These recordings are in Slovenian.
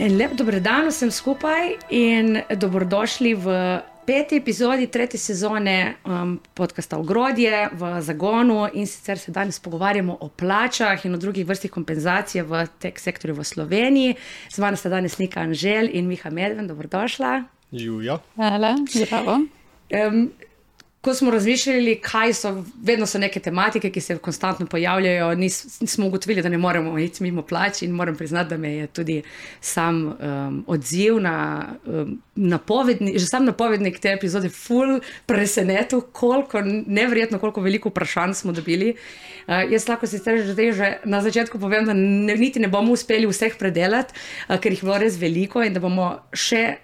En lep dobrodan vsem skupaj in dobrodošli v 5. epizodi 3. sezone podcasta Ogrodje v Zagonu, in sicer se danes pogovarjamo o plačah in o drugih vrstih kompenzacije v tech sektorju v Sloveniji. Z vami sta danes Nika Anžel in Miha Medven, dobrodošla. Juja. Hvala, zdravo. Ko smo razmišljali, kaj so, vedno so neke tematike, ki se konstantno pojavljajo, nismo ugotovili, da ne moremo iti mimo plač, in moram priznati, da me je tudi sam odziv na napovednik, že sam napovednik te epizode ful presenetil, neverjetno, koliko veliko vprašanj smo dobili. Jaz lahko sicer že na začetku povem, da niti ne bomo uspeli vseh predelati, ker jih bilo res veliko in da bomo še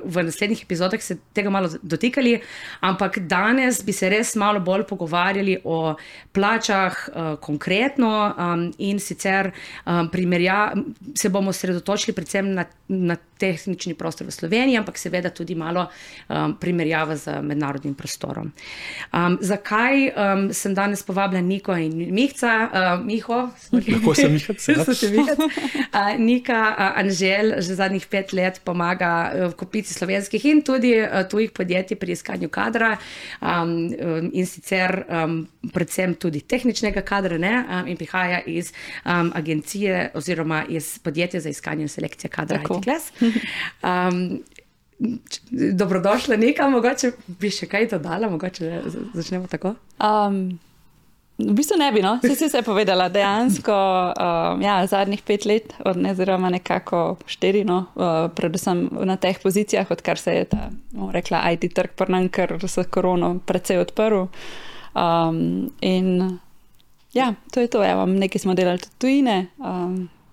v naslednjih epizodah se tega malo dotikali, ampak danes bi se res malo bolj pogovarjali o plačah konkretno in sicer se bomo sredotočili predvsem na tehnični prostor v Sloveniji, ampak seveda tudi malo primerjava z mednarodnim prostorom. Zakaj sem danes povabila Niko in Mihca? Miho? Lahko sem Mihac. Nika Anžel že zadnjih 5 let pomaga v kopici slovenskih in tudi tujih podjetij pri iskanju kadra, in sicer predvsem tudi tehničnega kadra, in prihaja iz agencije oziroma iz podjetja za iskanje in selekcije kadra ITClass. Dobrodošla, Nika, mogoče bi še kaj dodala, mogoče začnemo tako? V bistvu ne bi, no. Si vse povedala. Dejansko, zadnjih 5 let, oziroma nekako 4, predvsem na teh pozicijah, odkar se je ta, rekla, IT trg pri nam, ker s korono precej odprl. In to je to. Nekaj smo delali tudi tujine,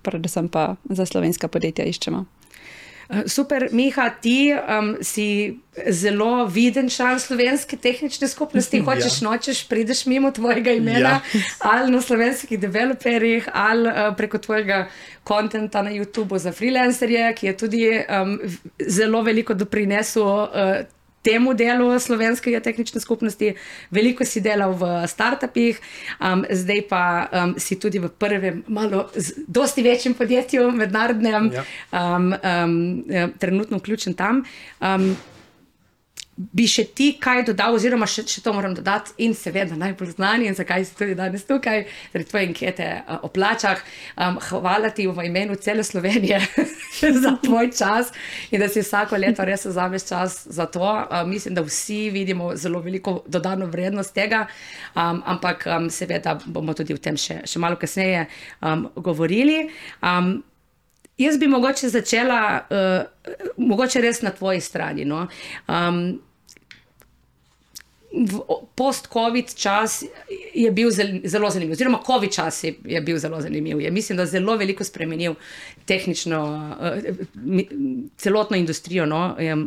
predvsem pa za slovenska podjetja iščemo. Super, Miha, ti si zelo viden član slovenske tehnične skupnosti, nočeš, prideš mimo tvojega imena, ali na slovenskih developerjih, ali preko tvojega kontenta na YouTubeu za freelancerje, ki je tudi zelo veliko doprinesel temu delu slovenskega tehnične skupnosti. Veliko si delal v startupih, zdaj pa si tudi v prvem, malo dosti večjem podjetju, mednarodnem, trenutno vključen tam. Bi še ti kaj dodal, oziroma še to moram dodati, in seveda najbolj znani, in zakaj si tudi danes tukaj, zaradi tvoje ankete o plačah. Hvala ti v imenu cele Slovenije za tvoj čas in da si vsako leto res vzameš čas za to. Mislim, da vsi vidimo zelo veliko dodano vrednost tega, ampak seveda bomo tudi o tem še malo kasneje govorili. Jaz bi mogoče začela, mogoče res na tvoji strani. Post-covid čas je bil zelo zanimiv, oziroma covid čas je bil zelo zanimiv. Mislim, da zelo veliko spremenil tehnično, celotno industrijo,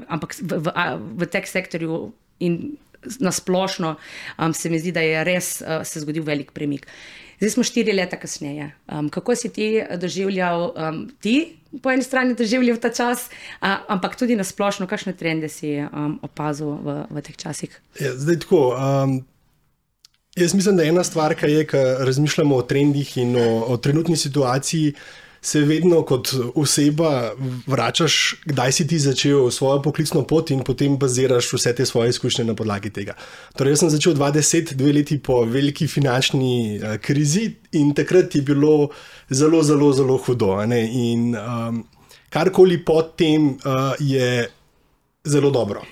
ampak v tech sektorju in nasplošno se mi zdi, da je res se zgodil velik premik. Zdaj smo 4 leta kasneje. Kako si ti doživljal, po eni strani doživljal ta čas, ampak tudi nasplošno, kakšne trende si opazil v teh časih? Zdaj tako, jaz mislim, da ena stvar, ki je, ko razmišljamo o trendih in o trenutni situaciji, se vedno kot oseba vračaš, kdaj si ti začel svojo poklicno pot in potem baziraš vse te svoje izkušnje na podlagi tega. Torej, jaz sem začel 2010, 2 leti po veliki finančni krizi, in takrat je bilo zelo, zelo, zelo hudo. In karkoli pod tem je zelo dobro.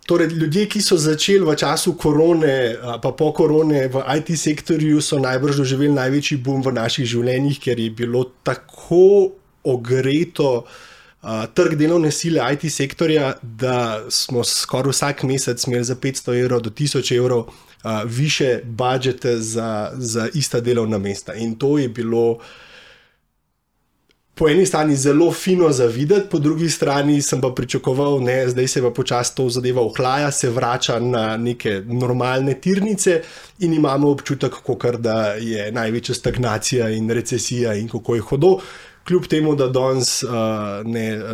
Torej, ljudje, ki so začeli v času korone, pa po korone v IT sektorju, so najbrž doživeli največji boom v naših življenjih, ker je bilo tako ogreto trg delovne sile IT sektorja, da smo skoraj vsak mesec imeli za 500 evrov do 1000 evrov više budžete za ista delovna mesta. In to je bilo po eni strani zelo fino za videti, po drugi strani sem pa pričakoval, zdaj se pa počasi to zadeva ohlaja, se vrača na neke normalne tirnice in imamo občutek, kakor da je največja stagnacija in recesija in kako je hudo. Kljub temu, da danes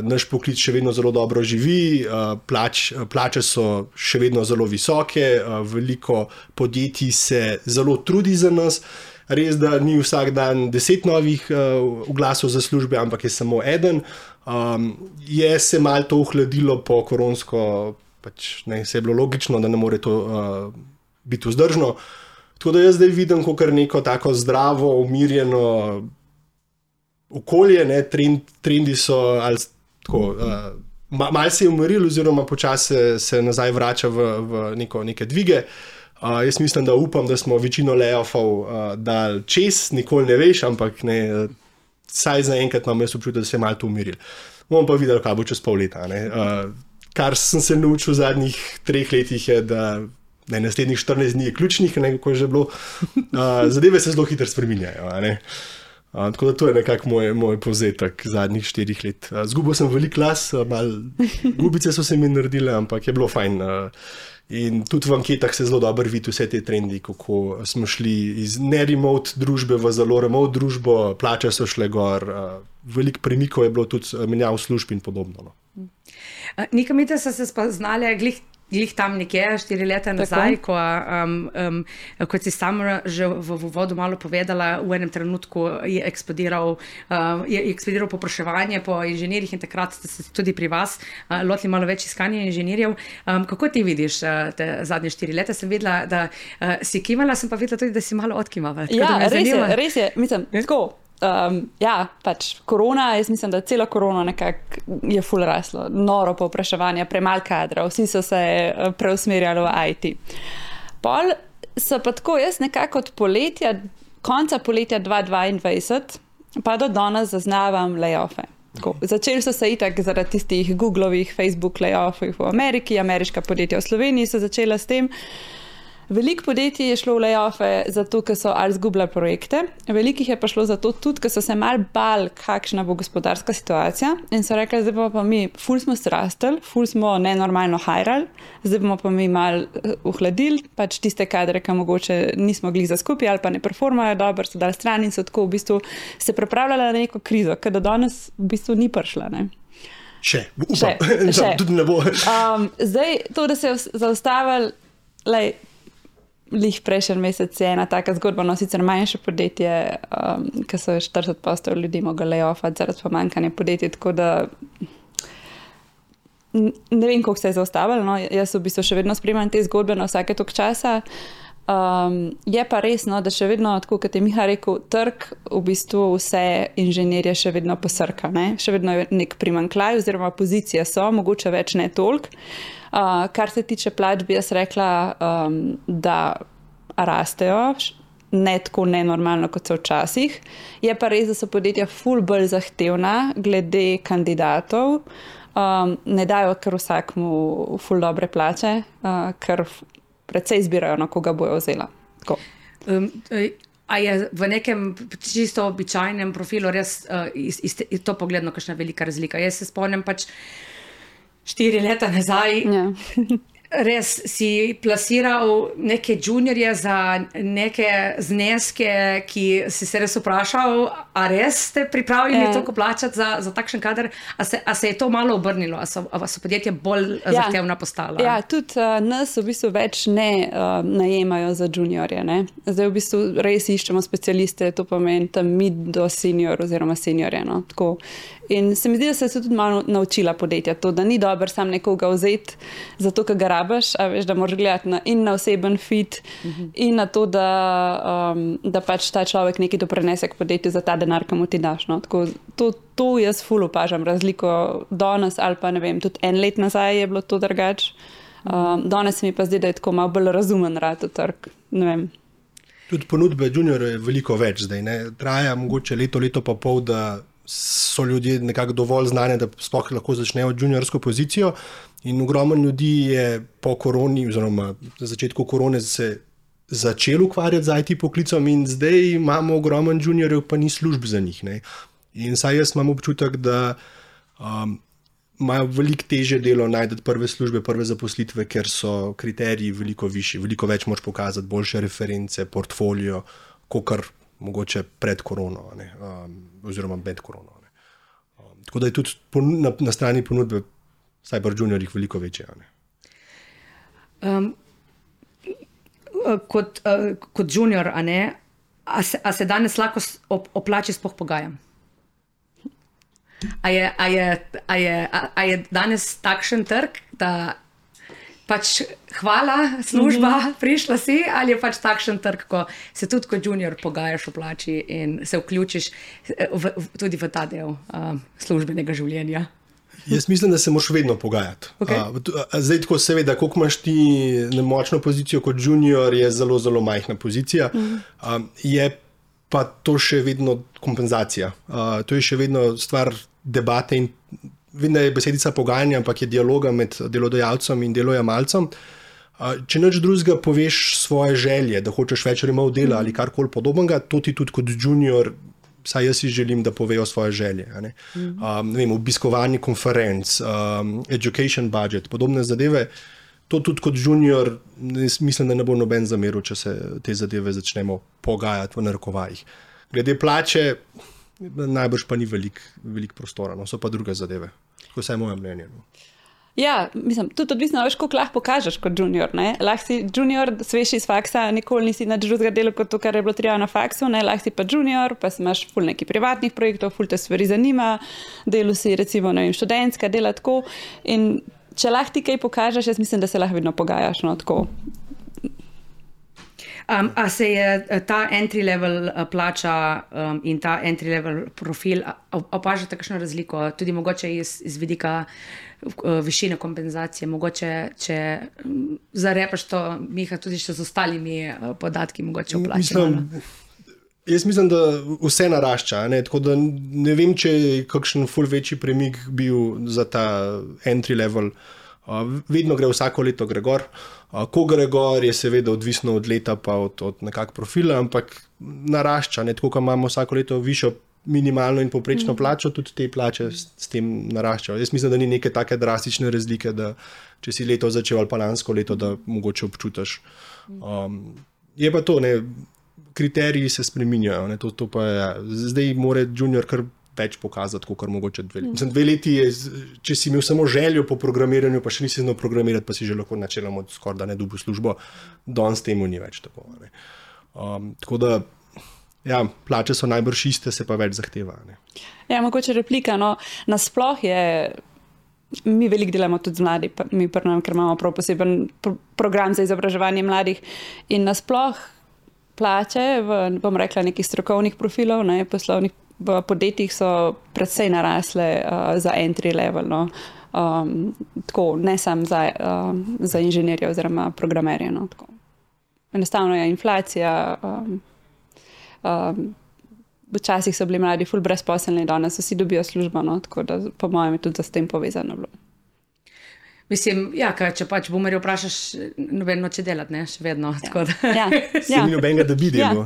naš poklic še vedno zelo dobro živi, plače so še vedno zelo visoke, veliko podjetij se zelo trudi za nas. Res, da ni vsak dan 10 novih oglasov za službe, ampak je samo eden. Je se malo to ohladilo po koronsko, pač ne, se je bilo logično, da ne more to biti vzdržno. Tako da jaz zdaj vidim kot neko tako zdravo, umirjeno okolje, ne, trendi so ali tako, malo se je umiril oziroma počasi se nazaj vrača v neke dvige. Jaz mislim, da upam, da smo večino layoffov dali čez, nikoli ne veš, ampak ne, saj zaenkrat imam jaz občutek, da se je malo to umiril. Bomo pa videli, kaj bo čez pol leta. Ne. Kar sem se naučil v zadnjih 3 letih je, da naslednjih 14 dni je ključnih, kako je že bilo. Zadeve se zelo hitro spreminjajo. Tako da to je nekako moj povzetek zadnjih 4 let. Zgubil sem veliko las, gubice so se mi naredile, ampak je bilo fajn. In tudi v anketah se zelo dobro vidi vse te trendi, kako smo šli iz ne-remote družbe v zelo remote družbo, plače so šle gor, veliko premikov je bilo tudi menjav služb in podobno. Nika Mite so se spoznali glih tam nekje 4 leta nazaj, kot si sama že v uvodu malo povedala, v enem trenutku je eksplodiral popraševanje po inženirjih in takrat ste se tudi pri vas lotili malo več iskanja inženirjev. Kako ti vidiš te zadnje 4 leta? Sem videla, da si kimala, sem pa videla tudi, da si malo odkimala. Ja, res je. Mislim, tako. Pač korona, jaz mislim, da celo korona nekako je ful raslo, noro povpraševanje, premalo kadra, vsi so se preusmerjali v IT. Pol so pa tako, jaz nekako od konca poletja 2022 pa do danes zaznavam lay-offe. Začeli so se itak zaradi tistih Googlovih, Facebook layoffov v Ameriki, ameriška podjetja v Sloveniji so začela s tem. Veliko podjetij je šlo v lay-offe zato, ker so ali zgubljali projekte, velikih je pa šlo zato tudi, ker so se malo bali, kakšna bo gospodarska situacija in so rekli, zdaj bomo pa mi, ful smo zrastli, ful smo nenormalno hajrali, zdaj bomo pa mi malo ohladili, pač tiste kadre, ki mogoče nismo glih za skupaj ali pa ne performajo dobro, so dali stran in so tako v bistvu se pripravljali na neko krizo, ker do danes v bistvu ni prišla, ne? Še. Tudi ne bo. Zdaj, to, da se je zaustavili, lih prejšnji mesec je ena taka zgodba, no sicer manjše podjetje, ki so 40% ljudi mogli layoffati zaradi pomanjkanja podjetij, tako da ne vem, koliko se je zaustavilo, no, jaz v bistvu še vedno spremljam te zgodbe na vsake toliko časa. Je pa res, no, da še vedno, tako kot je Miha rekel, trg v bistvu vse inženirje še vedno posrka, ne? Še vedno je nek primanjkljaj oziroma pozicije so, mogoče več ne toliko. Kar se tiče plač, bi jaz rekla, da rastejo, ne tako nenormalno, kot so včasih. Je pa res, da so podjetja ful bolj zahtevna glede kandidatov. Ne dajo kar vsakmu ful dobre plače, ker precej izbirajo, na koga bojo vzela. A je v nekem čisto običajnem profilu res to pogledno kakšna velika razlika? Jaz se spomnim pač 4 leta nazaj, res si plasiral neke juniorje za neke zneske, ki si se res vprašal, a res ste pripravljeni toliko plačati za takšen kader? A se je to malo obrnilo? A so podjetja bolj zahtevna postala? Ja, tudi nas v bistvu več ne najemajo za juniorje. Ne? Zdaj v bistvu res iščemo specialiste, to pomeni tam mid do senior oziroma seniorje. No? Tako. In se mi zdi, da se je tudi malo naučila podjetja to, da ni dobro sam nekoga vzeti zato, ker ga rabiš, a veš, da moraš gledati na oseben fit in na to, da pač ta človek nekaj doprinese k podjetju za ta denar, ki mu ti daš. No. Tako, to jaz ful opažam razliko danes ali pa ne vem, tudi 1 let nazaj je bilo to drugače. Danes mi pa zdi, da je tako malo bolj razumen rad v trg. Ne vem. Tudi ponudbe juniorjev je veliko več zdaj. Ne? Traja mogoče leto pa pol, da so ljudje nekako dovolj znani, da sploh lahko začnejo juniorsko pozicijo in ogromno ljudi je po koroni oziroma na začetku korone se začel ukvarjati z IT poklicom in zdaj imamo ogromno juniorjev, pa ni služb za njih. Ne? In saj jaz imam občutek, da imajo veliko težje delo najti prve službe, prve zaposlitve, ker so kriteriji veliko višji, veliko več moraš pokazati, boljše reference, portfolio, kakor mogoče pred korono, oziroma med korono. Tako da je tudi na strani ponudbe vsaj pri juniorjih veliko večje. Kot junior, a se danes lahko o plači sploh pogajam? A je danes takšen trg, da pač hvala, služba, prišla si, ali je pač takšen trg, ko se tudi kot junior pogajaš o plači in se vključiš tudi v ta del službenega življenja? Jaz mislim, da se moraš vedno pogajati. Okay. Zdaj, tako seveda, koliko imaš ti močno pozicijo kot junior, je zelo, zelo majhna pozicija. Je pa to še vedno kompenzacija. To je še vedno stvar debate in vem, da je besedica pogajanja, ampak je dialoga med delodajalcem in delojemalcem. Če nič drugega poveš svoje želje, da hočeš več remov dela ali karkoli podobnega, to ti tudi kot junior, saj jaz si želim, da povejo svoje želje. Ne vem, obiskovanje konferenc, education budget, podobne zadeve. To tudi kot junior, mislim, da ne bo noben zameril, če se te zadeve začnemo pogajati v narekovajih. Glede plače, najbrž pa ni velik prostora, no, so pa druge zadeve. Tako vsaj moje mnenje. No. Ja, mislim, tudi odvisno, veš, koliko lahko pokažeš kot junior. Lahko si junior, sveš iz faksa, nikoli nisi nič drugega delal kot to, kar je bilo treba na faksu, lahko si pa junior, pa imaš ful nekih privatnih projektov, ful te stvari zanima, delu si recimo, ne vem, študentska, dela tako. In če lahko ti kaj pokažeš, jaz mislim, da se lahko vedno pogajaš, no, tako. A se je ta entry level plača in ta entry level profil, opažate kakšno razliko, tudi mogoče iz vidika višine kompenzacije, mogoče če zarepaš to, Miha, tudi še z ostalimi podatki mogoče o plači? Jaz mislim, da vse narašča, tako da ne vem, če je kakšen ful večji premik bil za ta entry level. Vedno gre vsako leto gre gor. Ko gre gor, je seveda odvisno od leta pa od nekak profila, ampak narašča, tako kot imamo vsako leto višjo minimalno in povprečno plačo, tudi te plače s tem naraščajo. Jaz mislim, da ni neke take drastične razlike, da če si leto začel ali pa lansko leto, da mogoče občutaš. Je pa to, kriteriji se spreminjajo, to pa je, zdaj mora junior kar več pokazati, kot mogoče 2 leti. Mislim, 2 leti je, če si imel samo željo po programiranju, pa še nisi znal programirati, pa si že lahko načeloma skoraj da ne dobil službo, danes temu ni več tako. Tako da, ja, plače so najbrž iste, se pa več zahteva. Ja, mogoče replika, no, nasploh je, mi veliko delamo tudi z mladi, mi prnam, ker imamo prav poseben program za izobraževanje mladih in nasploh plače, bom rekla, nekih strokovnih profilov, poslovnih v podjetjih so predvsej narasle za entry level, no. Tako, ne samo za inženirje oziroma programerje. No, tako. Enostavno je inflacija, včasih so bili mladi ful brezposelni, danes vsi dobijo službo, no, tako da po mojem je tudi za s tem povezano bilo. Mislim, ja, če pač boomerje vprašaš, noben noče delati, še vedno. Ja. Se ni nobenega, da bi delal.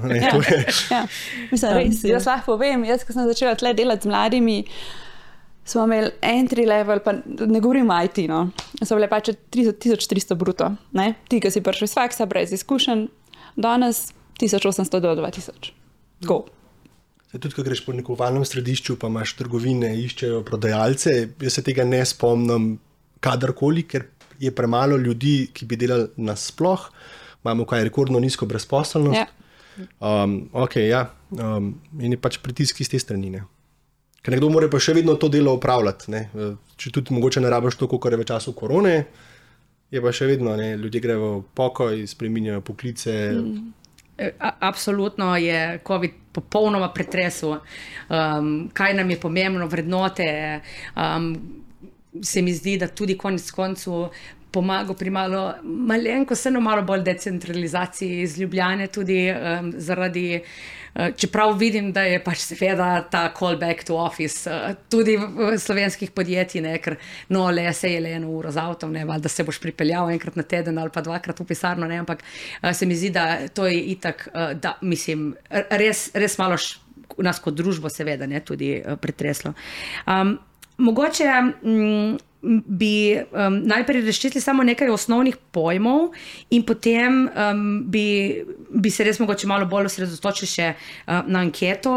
Mislim, res, jaz lahko povem, jaz, ko sem začela tle delati z mladimi, smo imeli entry level, pa ne govorim IT, no, so bile pač 1300 bruto. Ti, ki si prišel iz faksa, brez izkušenj, danes 1800 do 2000. Tako. Tudi, ko greš po nekovalnem središču, pa imaš trgovine, iščejo prodajalce, jaz se tega ne spomnim, kadarkoli, ker je premalo ljudi, ki bi delali nasploh, imamo rekordno nizko brezposelnost. Ja. In je pač pritisk iz te strani. Ker nekdo mora pa še vedno to delo opravljati. Če tudi mogoče ne rabiš to, kot je v času korone, je pa še vedno, ljudje grejo v pokoj, spreminjajo poklice. Absolutno je COVID popolnoma pretresel. Kaj nam je pomembno, vrednote, se mi zdi, da tudi konec koncu pomaga pri malenko, vseeno malo bolj decentralizaciji iz Ljubljane, tudi zaradi, čeprav vidim, da je pač seveda ta call back to office tudi v slovenskih podjetij, ker se je le 1 uro z avtom, valjda se boš pripeljal enkrat na teden ali pa 2-krat v pisarno, ampak se mi zdi, da to je itak, da mislim, res malo nas kot družbo seveda tudi pretreslo. Mogoče bi najprej razčistili samo nekaj osnovnih pojmov in potem bi se res mogoče malo bolj osredotočili še na anketo,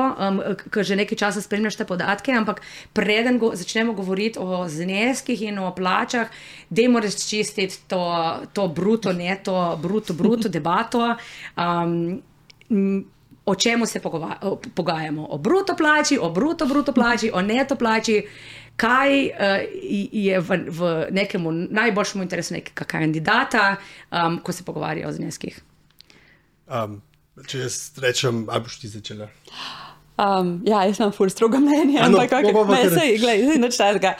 ker že nekaj časa spremljaš te podatke, ampak preden začnemo govoriti o zneskih in o plačah, dajmo razčistiti to bruto, neto, bruto debato. o čemu se pogajamo. O bruto plači, o bruto plači, o neto plači. Kaj je v nekemu najboljšemu interesu nekega kandidata, ko se pogovarjajo o zneskih? Če jaz rečem, ali boš ti začela? Ja, jaz imam ful strogo mnenje, ampak sej, nič takega.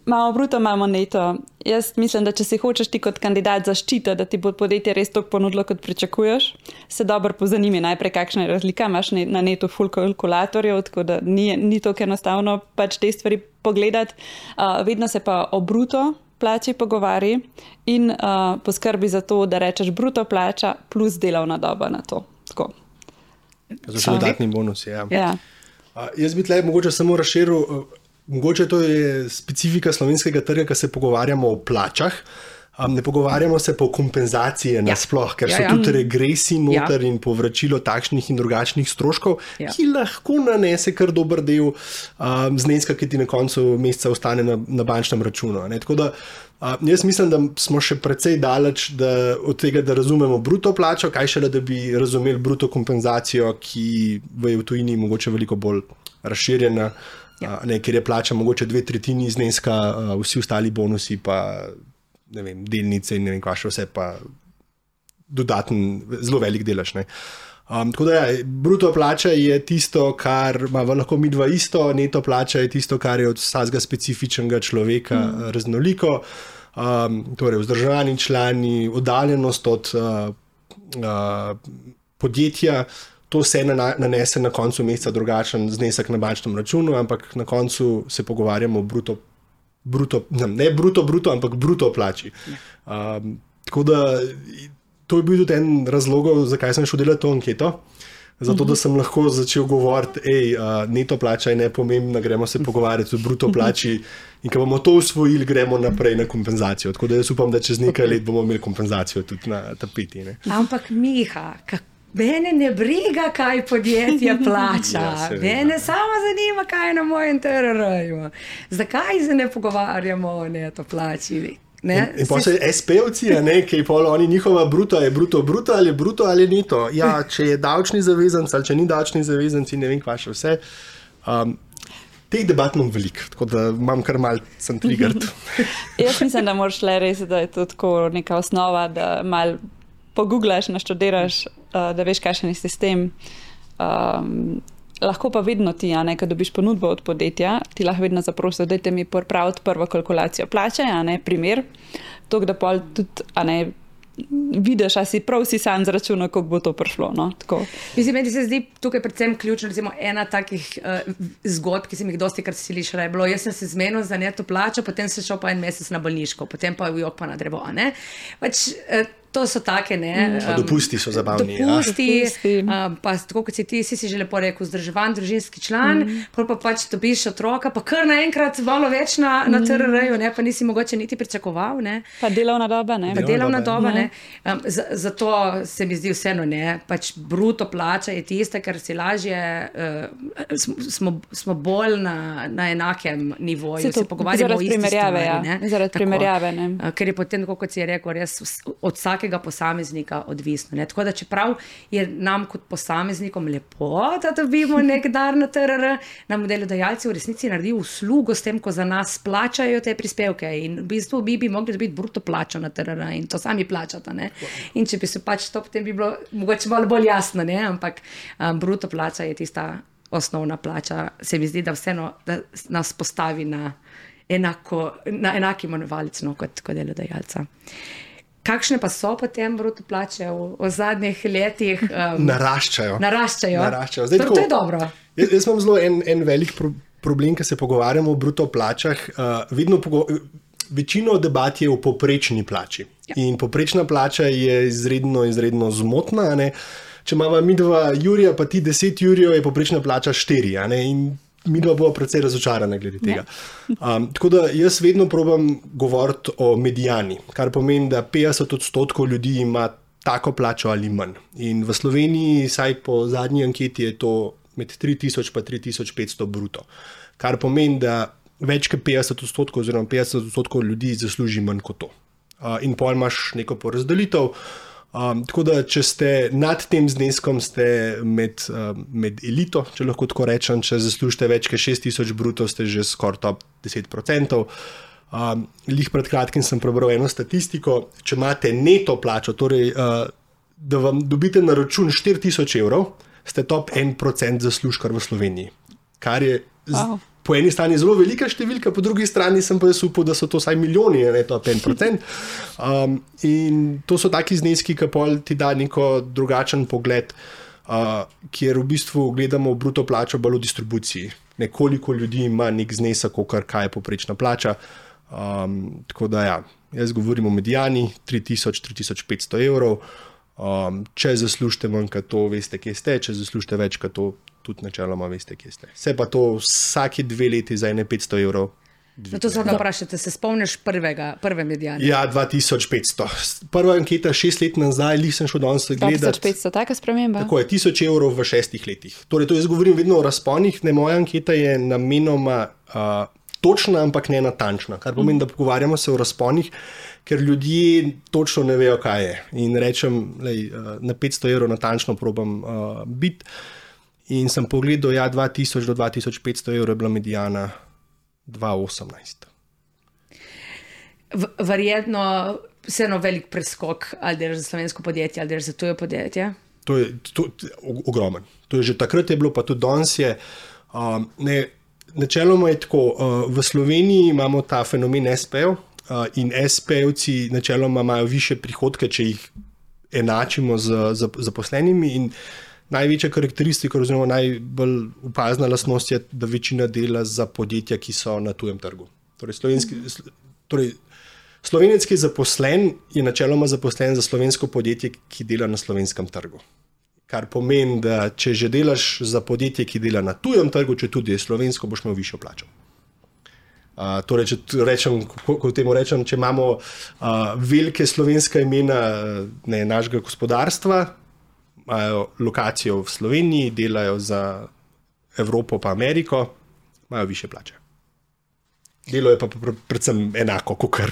Imamo bruto, imamo neto. Jaz mislim, da če si hočeš ti kot kandidat zaščita, da ti bo podjetje res toliko ponudilo, kot pričakuješ, se dobro pozanimi najprej, kakšna je razlika. Imaš na netu ful kalkulatorjev, tako da ni toliko enostavno pač te stvari pogledati. Vedno se pa o bruto plači pogovari in poskrbi za to, da rečeš bruto plača plus delovna doba na to. Tako. Za dodatni bonus, ja. Ja. Jaz bi tle mogoče samo razširil. Mogoče to je specifika slovenskega trga, ko se pogovarjamo o plačah, ne pogovarjamo se pa o kompenzacije nasploh, ker so tudi regresi noter in povračilo takšnih in drugačnih stroškov, ki lahko nanese kar dober del zneska, ki ti na koncu meseca ostane na bančnem računu. Tako da jaz mislim, da smo še precej daleč od tega, da razumemo bruto plačo, kaj šele, da bi razumeli bruto kompenzacijo, ki je v tujini mogoče veliko bolj razširjena. Ker je plača mogoče 2/3 zneska, vsi ostali bonusi pa ne vem, delnice in ne vem kva še vse pa dodaten, zelo velik delež. Tako da bruto plača je tisto, kar ima lahko midva isto, neto plača je tisto, kar je od vsakega specifičnega človeka raznoliko, torej vzdrževani člani, oddaljenost od podjetja. To se nanese na koncu meseca drugačen znesek na bančnem računu, ampak na koncu se pogovarjamo o ne bruto, ampak bruto plači. Tako da to je bil tudi en razlogov, zakaj sem šel delati to anketo. Zato, da sem lahko začel govoriti, neto plača je nepomembna, gremo se pogovarjati o bruto plači in ko bomo to usvojili, gremo naprej na kompenzacijo. Tako da jaz upam, da čez nekaj let bomo imeli kompenzacijo tudi na tapeti. Ampak Miha, mene ne briga, kaj podjetje plača. Mene samo zanima, kaj je na mojem TRR-ju. Zakaj se ne pogovarjamo o neto plači? In pa so SP-ovci, ki je pol oni njihova bruto, je bruto ali je bruto ali neto. Ja, če je davčni zavezanc ali če ni davčni zavezanc in ne vem kva še vse. Teh debat imam veliko, tako da imam kar malo sem triggered. Jaz mislim, da moraš le res, da je to tako neka osnova, da malo pogooglaš, naštudiraš, da veš, kakšen je sistem. Lahko pa vedno ti, ko dobiš ponudbo od podjetja, ti lahko vedno zaprosiš, dajte mi pripraviti prvo kalkulacijo plače, primer, tako da pol tudi, vidiš, a si prav si sam zračunal, kako bo to prišlo. No? Mislim, meni se zdi tukaj predvsem ključno, recimo ena takih zgodb, ki sem jih dosti krat slišala, je bilo, jaz sem se zmenil za neto plačo, potem sem šel pa en mesec na bolniško, potem pa v jok pa na drevo. To so take, dopusti so zabavni. Dopusti, pa tako kot si že lepo rekel, vzdrževan družinski član, pa pač dobiš otroka, pa kar naenkrat malo več na TRR-ju, pa nisi mogoče niti pričakoval. Pa delovna doba, Zato se mi zdi vseeno, pač bruto plača je tista, ker si lažje, smo bolj na enakem nivoju, se pogovarjamo o isti stvari. Zaradi primerjave. Ker je potem, kot si je rekel, res od vsakega posameznika odvisno. Tako da čeprav je nam kot posameznikom lepo, da dobimo nek dar na TRR, nam delodajalci v resnici naredijo uslugo s tem, ko za nas plačajo te prispevke in v bistvu bi mogli dobiti bruto plačo na TRR in to sami plačata. In če bi se pač to, potem bi bilo mogoče malo bolj jasno, ampak bruto plača je tista osnovna plača. Se mi zdi, da vseeno da nas postavi na enaki imenovalec kot delodajalca. Kakšne pa so potem bruto plače v zadnjih letih? Naraščajo. Zdaj, to je dobro. Jaz imam zelo en velik problem, ko se pogovarjamo o bruto plačah. Večino debat je o povprečni plači. In povprečna plača je izredno zmotna. Če imamo mi 2 jurija, pa ti 10 jurijev, je povprečna plača 4. In mi dva bo precej razočarana glede tega. Tako da jaz vedno probam govoriti o medijani, kar pomeni, da 50% ljudi ima tako plačo ali manj. In v Sloveniji, saj po zadnji anketi, je to med 3000 pa 3500 bruto. Kar pomeni, da več kot 50% oziroma 50% ljudi zasluži manj kot to. In pol imaš neko porazdelitev. Tako da, če ste nad tem zneskom, ste med elito, če lahko tako rečem, če zaslužite več kot 6,000 bruto, ste že skoraj top 10%. Lih pred kratkim sem prebral eno statistiko, če imate neto plačo, torej da vam dobite na račun 4,000 evrov, ste top 1% zaslužkar v Sloveniji, kar je po eni strani zelo velika številka, po drugi strani sem pa jaz upal, da so to vsaj milijoni, ne top 1%. In to so taki zneski, ki pol ti da neko drugačen pogled, kjer v bistvu gledamo bruto plačo bolj v distribuciji. Nekoliko ljudi ima nek znesek, kaj je povprečna plača. Tako da ja, jaz govorim o medijani, 3,000–3,500 evrov. Če zaslužite manj kot to, veste, kje ste, če zaslužite več kot to, tudi načeloma veste, kje ste. Se pa to vsake 2 leti za 500 evrov. To se vprašate, se spomniš prve medijane? Ja, 2500. Prva anketa 6 let nazaj, lih sem šel danes gledati. 2500, taka sprememba? Tako je, 1000 evrov v 6 letih. Torej, to jaz govorim vedno o razponih, ne, moja anketa je namenoma točna, ampak ne natančna, kar pomeni, da pogovarjamo se o razponih, ker ljudje točno ne vejo, kaj je. In rečem, na 500 evrov natančno probam biti. In sem pogledal, ja, 2000 do 2500 evrov je bila medijana 2018. Verjetno vseeno velik preskok, ali delaš za slovensko podjetje, ali delaš za tuje podjetje? To je ogromen. To je že takrat je bilo, pa tudi danes je. Načeloma je tako, v Sloveniji imamo ta fenomen SP-jev in SP-jevci načeloma imajo više prihodke, če jih enačimo z zaposlenimi, in največja karakteristika oziroma najbolj opazna lastnost je, da večina dela za podjetja, ki so na tujem trgu. Torej, Slovenec, ki je zaposlen, je načeloma zaposlen za slovensko podjetje, ki dela na slovenskem trgu. Kar pomeni, da če že delaš za podjetje, ki dela na tujem trgu, če tudi je slovensko, boš imel višjo plačo. Torej, če imamo velike slovenska imena našega gospodarstva, imajo lokacijo v Sloveniji, delajo za Evropo pa Ameriko, imajo više plače. Delo je pa predvsem enako, kakor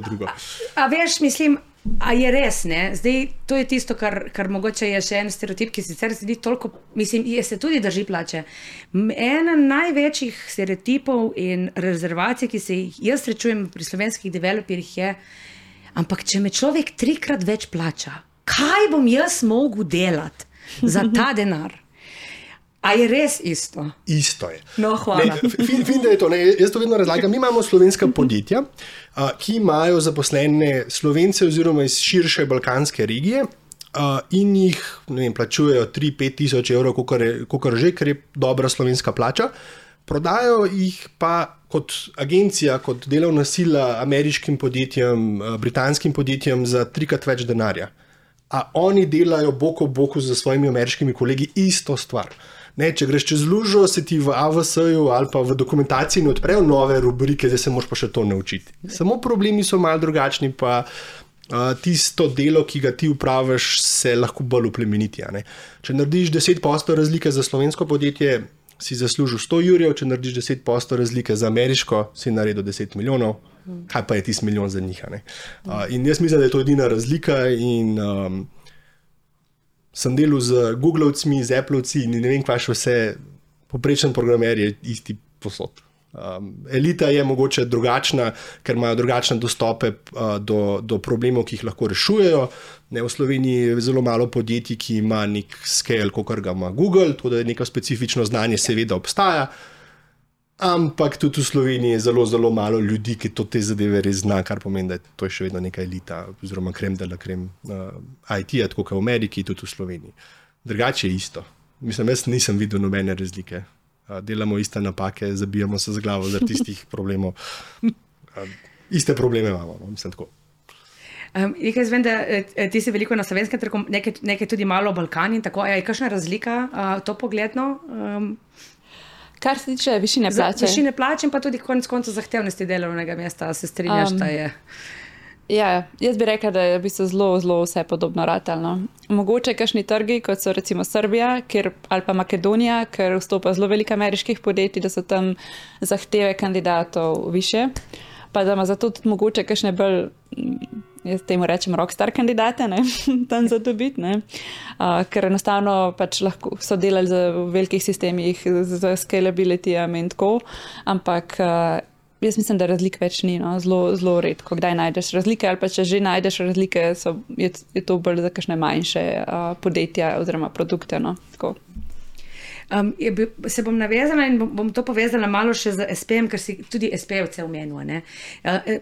drugo. A veš, mislim, a je res, ne? Zdaj, to je tisto, kar mogoče je še en stereotip, ki sicer se toliko, mislim, se tudi drži plače. Ena največjih stereotipov in rezervacij, ki se jaz srečujem pri slovenskih developerjih je, ampak če me človek 3-krat več plača, kaj bom jaz mogel delati za ta denar? A je res isto? Isto je. No, hvala. Fin, da je to. Jaz to vedno razlagam. Mi imamo slovenska podjetja, ki imajo zaposlene Slovence oziroma iz širše balkanske regije in jih plačujejo 3-5 tisoč evrov, kolikor že, ker je dobra slovenska plača. Prodajo jih pa kot agencija, kot delovna sila ameriškim podjetjem, britanskim podjetjem za 3-krat več denarja. A oni delajo bok ob boku z svojimi ameriškimi kolegi isto stvar. Ne, če greš čez lužo, se ti v AVS-ju ali pa v dokumentaciji ne odprejo nove rubrike, zdaj se moraš pa še to naučiti. Samo problemi so malo drugačni, pa tisto delo, ki ga ti upraviš, se lahko bolj uplemeniti. Če narediš 10% razlike za slovensko podjetje, si zaslužil 100 jurjev, če narediš 10% razlike za ameriško, si naredil 10 milijonov. Kaj pa je tisti milijon za njih? In jaz mislim, da je to edina razlika in sem delal z Googlovcmi, z Applovci in ne vem, kaj še vse, poprečen programer je isti posod. Elita je mogoče drugačna, ker imajo drugačne dostope do problemov, ki jih lahko rešujejo. V Sloveniji je zelo malo podjetij, ki ima nek scale, kakor ga ima Google, tako da neko specifično znanje seveda obstaja, ampak tudi v Sloveniji je zelo, zelo malo ljudi, ki te zadeve res zna, kar pomeni, da je to še vedno neka elita, oziroma krem de la krem IT-ja, tako kot v Ameriki, tudi v Sloveniji. Drugače je isto. Mislim, jaz nisem videl nobene razlike. Delamo iste napake, zabijamo se z glavo zaradi tistih problemov. Iste probleme imamo, mislim tako. Jaz vem, da ti si veliko na slovenskem trgu, nekaj tudi malo v Balkani in tako. Je kakšna razlika to pogledno? Kar se tiče višine plače. Višine plače in pa tudi konec koncev zahtevnosti delovnega mesta, se strinjaš, da je. Ja, jaz bi rekla, da je v bistvu zelo, zelo vse podobno ratelno. Mogoče kakšni trgi, kot so recimo Srbija, ali pa Makedonija, ker vstopa zelo veliko ameriških podjetij, da so tam zahteve kandidatov više, pa da ima zato tudi mogoče kakšne bolj jaz temu rečem rockstar kandidate, ne, tam za to biti, ne, ker enostavno pač lahko so delali v velikih sistemih z scalability-jem in tako, ampak jaz mislim, da razlik več ni, no, zelo redko, kdaj najdeš razlike, ali pa če že najdeš razlike, je to bolj za kakšne manjše podjetja oziroma produkte, no, tako. Se bom navezala in bom to povezala malo še z SP-jem, ker si tudi SP-jevce omenil.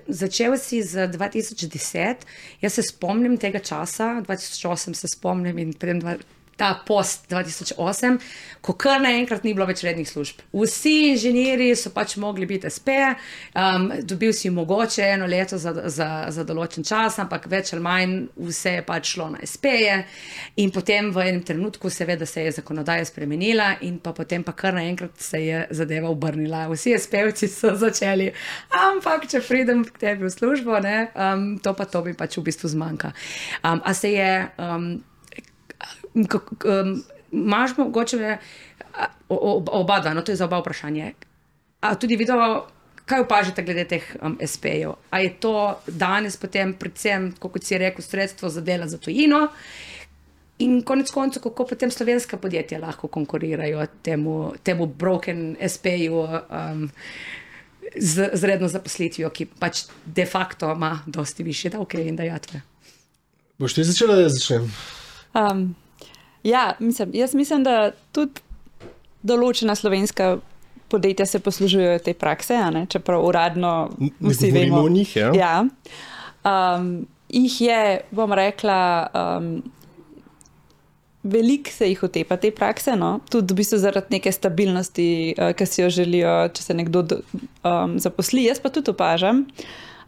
Začel si z 2010, jaz se spomnim tega časa, 2008 se spomnim in potem ta post 2008, ko kar naenkrat ni bilo več rednih služb. Vsi inženirji so pač mogli biti SP, dobil si mogoče 1 leto za določen čas, ampak več ali manj vse je pač šlo na SP-je in potem v enem trenutku seveda se je zakonodaja spremenila in pa potem pa kar naenkrat se je zadeva obrnila. Vsi SP-jevci so začeli, ampak če pridem k tebi v službo, ne, to mi pač v bistvu zmanjka. A se je... Imaš mogoče oba dva, no to je za oba vprašanje. A tudi videl, kaj opažate glede teh SP-jev? A je to danes potem predvsem, kot si rekel, sredstvo za dela za tujino in konec koncev, kako potem slovenska podjetja lahko konkurirajo temu broken SP-ju z redno zaposlitvijo, ki pač de facto ima dosti višje davke in dajatve. Boš ti začela, da jaz začnem? Ja, jaz mislim, da tudi določena slovenska podjetja se poslužujejo te prakse, ne? Čeprav uradno vsi vemo. O njih, ja. Ja. Jih je, bom rekla, veliko se jih otepa te prakse, no? Tudi v bistvu zaradi neke stabilnosti, ki si jo želijo, če se nekdo zaposli. Jaz pa tudi opažam,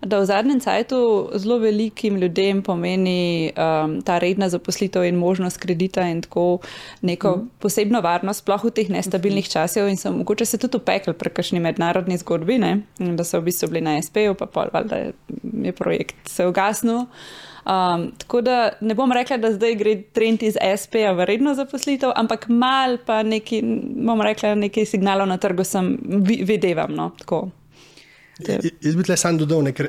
da v zadnjem cajtu zelo velikim ljudem pomeni ta redna zaposlitev in možnost kredita in tako neko posebno varnost, sploh v teh nestabilnih časih in so mogoče se tudi upekli pri kakšni mednarodni zgodbi, ne? Da so v bistvu bili na SP-ju, pa pol valjda je projekt se ugasnil. Tako da ne bom rekla, da zdaj gre trend iz SP-ja v redno zaposlitev, ampak mal pa neki, bom rekla, nekaj signalov na trgu sem videvam, no, tako. Jaz bi tle sam dodal, ker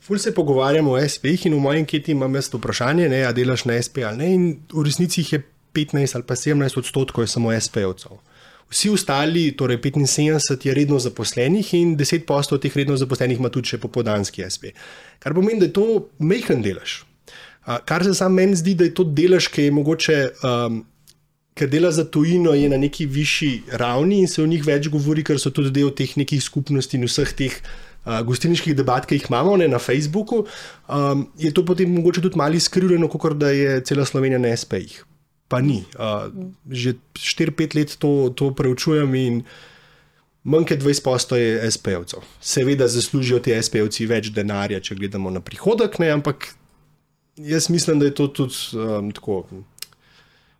ful se pogovarjamo o SP-jih in v moji anketi imam jaz to vprašanje, a delaš na SP ali ne, in v resnici jih je 15 ali pa 17% je samo SP-jevcev. Vsi ostali, torej 75 je redno zaposlenih in 10% teh redno zaposlenih ima tudi še popoldanski SP. Kar pomeni, da je to majhen delež. Kar se sam meni zdi, da je to delež, ki je mogoče... ker dela za tujino je na neki višji ravni in se o njih več govori, ker so tudi del teh nekih skupnosti in vseh teh gostilniških debat, ki jih imamo na Facebooku, je to potem mogoče tudi malo izkrivljeno, kakor da je cela Slovenija na SP-jih. Pa ni. Že 4-5 let to preučujem in manj kot 20% je SP-jevcev. Seveda zaslužijo ti SP-jevci več denarja, če gledamo na prihodek, ne, ampak jaz mislim, da je to tudi tako...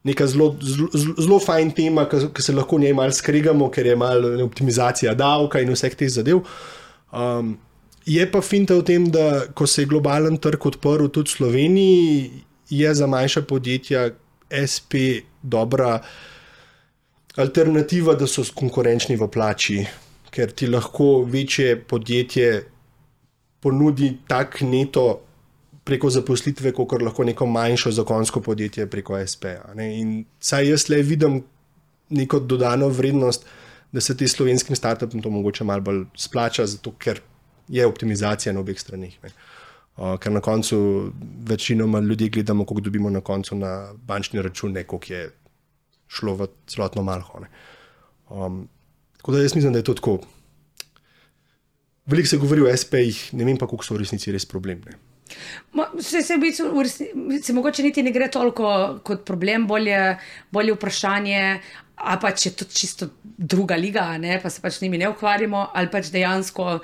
neka zelo fajn tema, ki se lahko njej malo skregamo, ker je malo optimizacija davka in vseh teh zadev. Je pa finta v tem, da ko se je globalen trg odprl tudi v Sloveniji, je za manjša podjetja SP dobra alternativa, da so konkurenčni v plači, ker ti lahko večje podjetje ponudi tak neto preko zaposlitve, kakor lahko neko manjšo zakonsko podjetje preko SP-ja. In saj jaz le vidim neko dodano vrednost, da se ti slovenskim startupom to mogoče malo bolj splača, zato ker je optimizacija na obeh stranih. Ker na koncu večinoma ljudi gledamo, koliko dobimo na koncu na bančni račun, ne koliko je šlo v celotno malho. Tako da jaz mislim, da je to tako. Veliko se govori o SP-jih, ne vem pa, koliko so v resnici res problem. Se mogoče niti ne gre toliko kot problem, bolje vprašanje, a pač je to čisto druga liga, ne, pa se pač njimi ne ukvarjamo, ali pač dejansko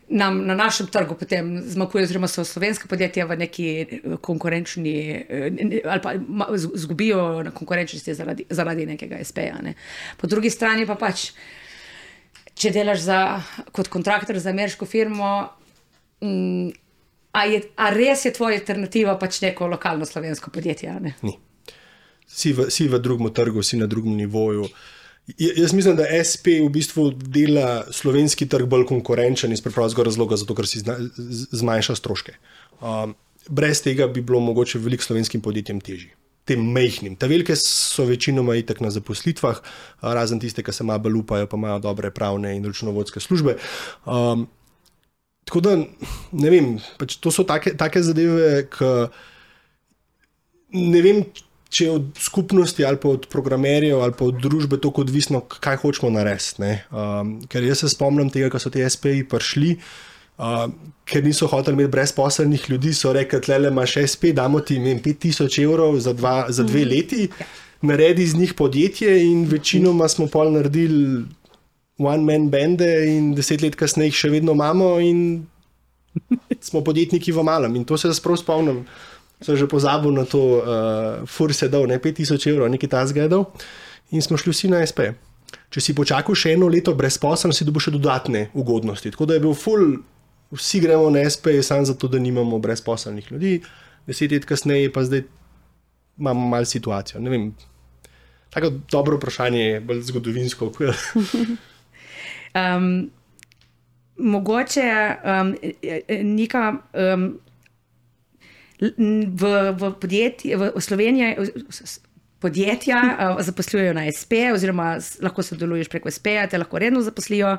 nam na našem trgu potem zmakuje, oziroma so slovenska podjetja v neki konkurenčni, ali pa zgubijo na konkurenčnosti zaradi nekega SP-ja. Ne. Po drugi strani pa pač, če delaš kot kontraktor za ameriško firmo, a res je tvoja alternativa pač neko lokalno slovensko podjetje? Ne? Ni. Si v drugem trgu, si na drugem nivoju. Jaz mislim, da SP v bistvu dela slovenski trg bolj konkurenčen iz preprostega razloga, zato ker si zmanjša stroške. brez tega bi bilo mogoče veliko slovenskim podjetjem težje. Tem majhnim. Ta velike so večinoma itak na zaposlitvah, razen tiste, ki se malo bolj upajo, pa imajo dobre pravne in računovodske službe. Tako da, ne vem, pač to so take zadeve, ki ne vem, če je od skupnosti ali pa od programerjev ali pa od družbe toliko odvisno, kaj hočemo narediti. Ker jaz se spomnim tega, ko so ti SPI prišli, ker niso hoteli imeti brezposelnih ljudi, so rekli, tlele imaš SP, damo ti 5000 evrov za 2 leti, naredi z njih podjetje in večinoma smo pol naredili one-man bande in 10 let kasneje jih še vedno imamo in smo podjetniki v malem. In to se sprav spomnim, sem že pozabil na to, fur se dal, 5000 evrov, nekaj tasga je dal in smo šli vsi na SP. Če si počakal še 1 leto brezposeln, si dobil še dodatne ugodnosti. Tako da je bil vsi gremo na SP samo zato, da nimamo brezposelnih ljudi. 10 let kasneje pa zdaj imamo malo situacijo. Ne vem, tako dobro vprašanje je, bolj zgodovinsko. Mogoče neka v podjetju, v Sloveniji podjetja zaposlujejo na SP, oziroma lahko sodeluješ preko SP-ja, te lahko redno zaposlijo.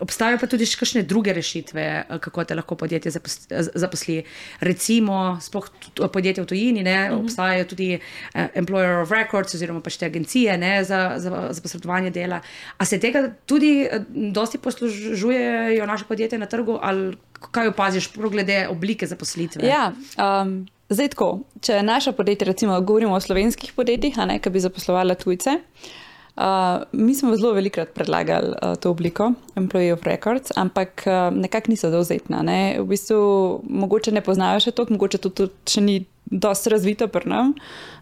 Obstajajo pa tudi še kakšne druge rešitve, kako te lahko podjetje zaposli. Recimo, sploh podjetje v tujini, obstajajo tudi employer of records, oziroma pač te agencije za posredovanje dela. A se tega tudi dosti poslužujejo naše podjetje na trgu, ali kaj opaziš glede oblike zaposlitve? Ja, zdaj tako, če naša podjetja, recimo govorimo o slovenskih podjetjih, ki bi zaposlovala tujce, mi smo zelo velikokrat predlagali to obliko, employee of records, ampak nekako niso dovzetna. V bistvu mogoče ne poznajo še toliko, mogoče to še ni dosti razvito pri nam,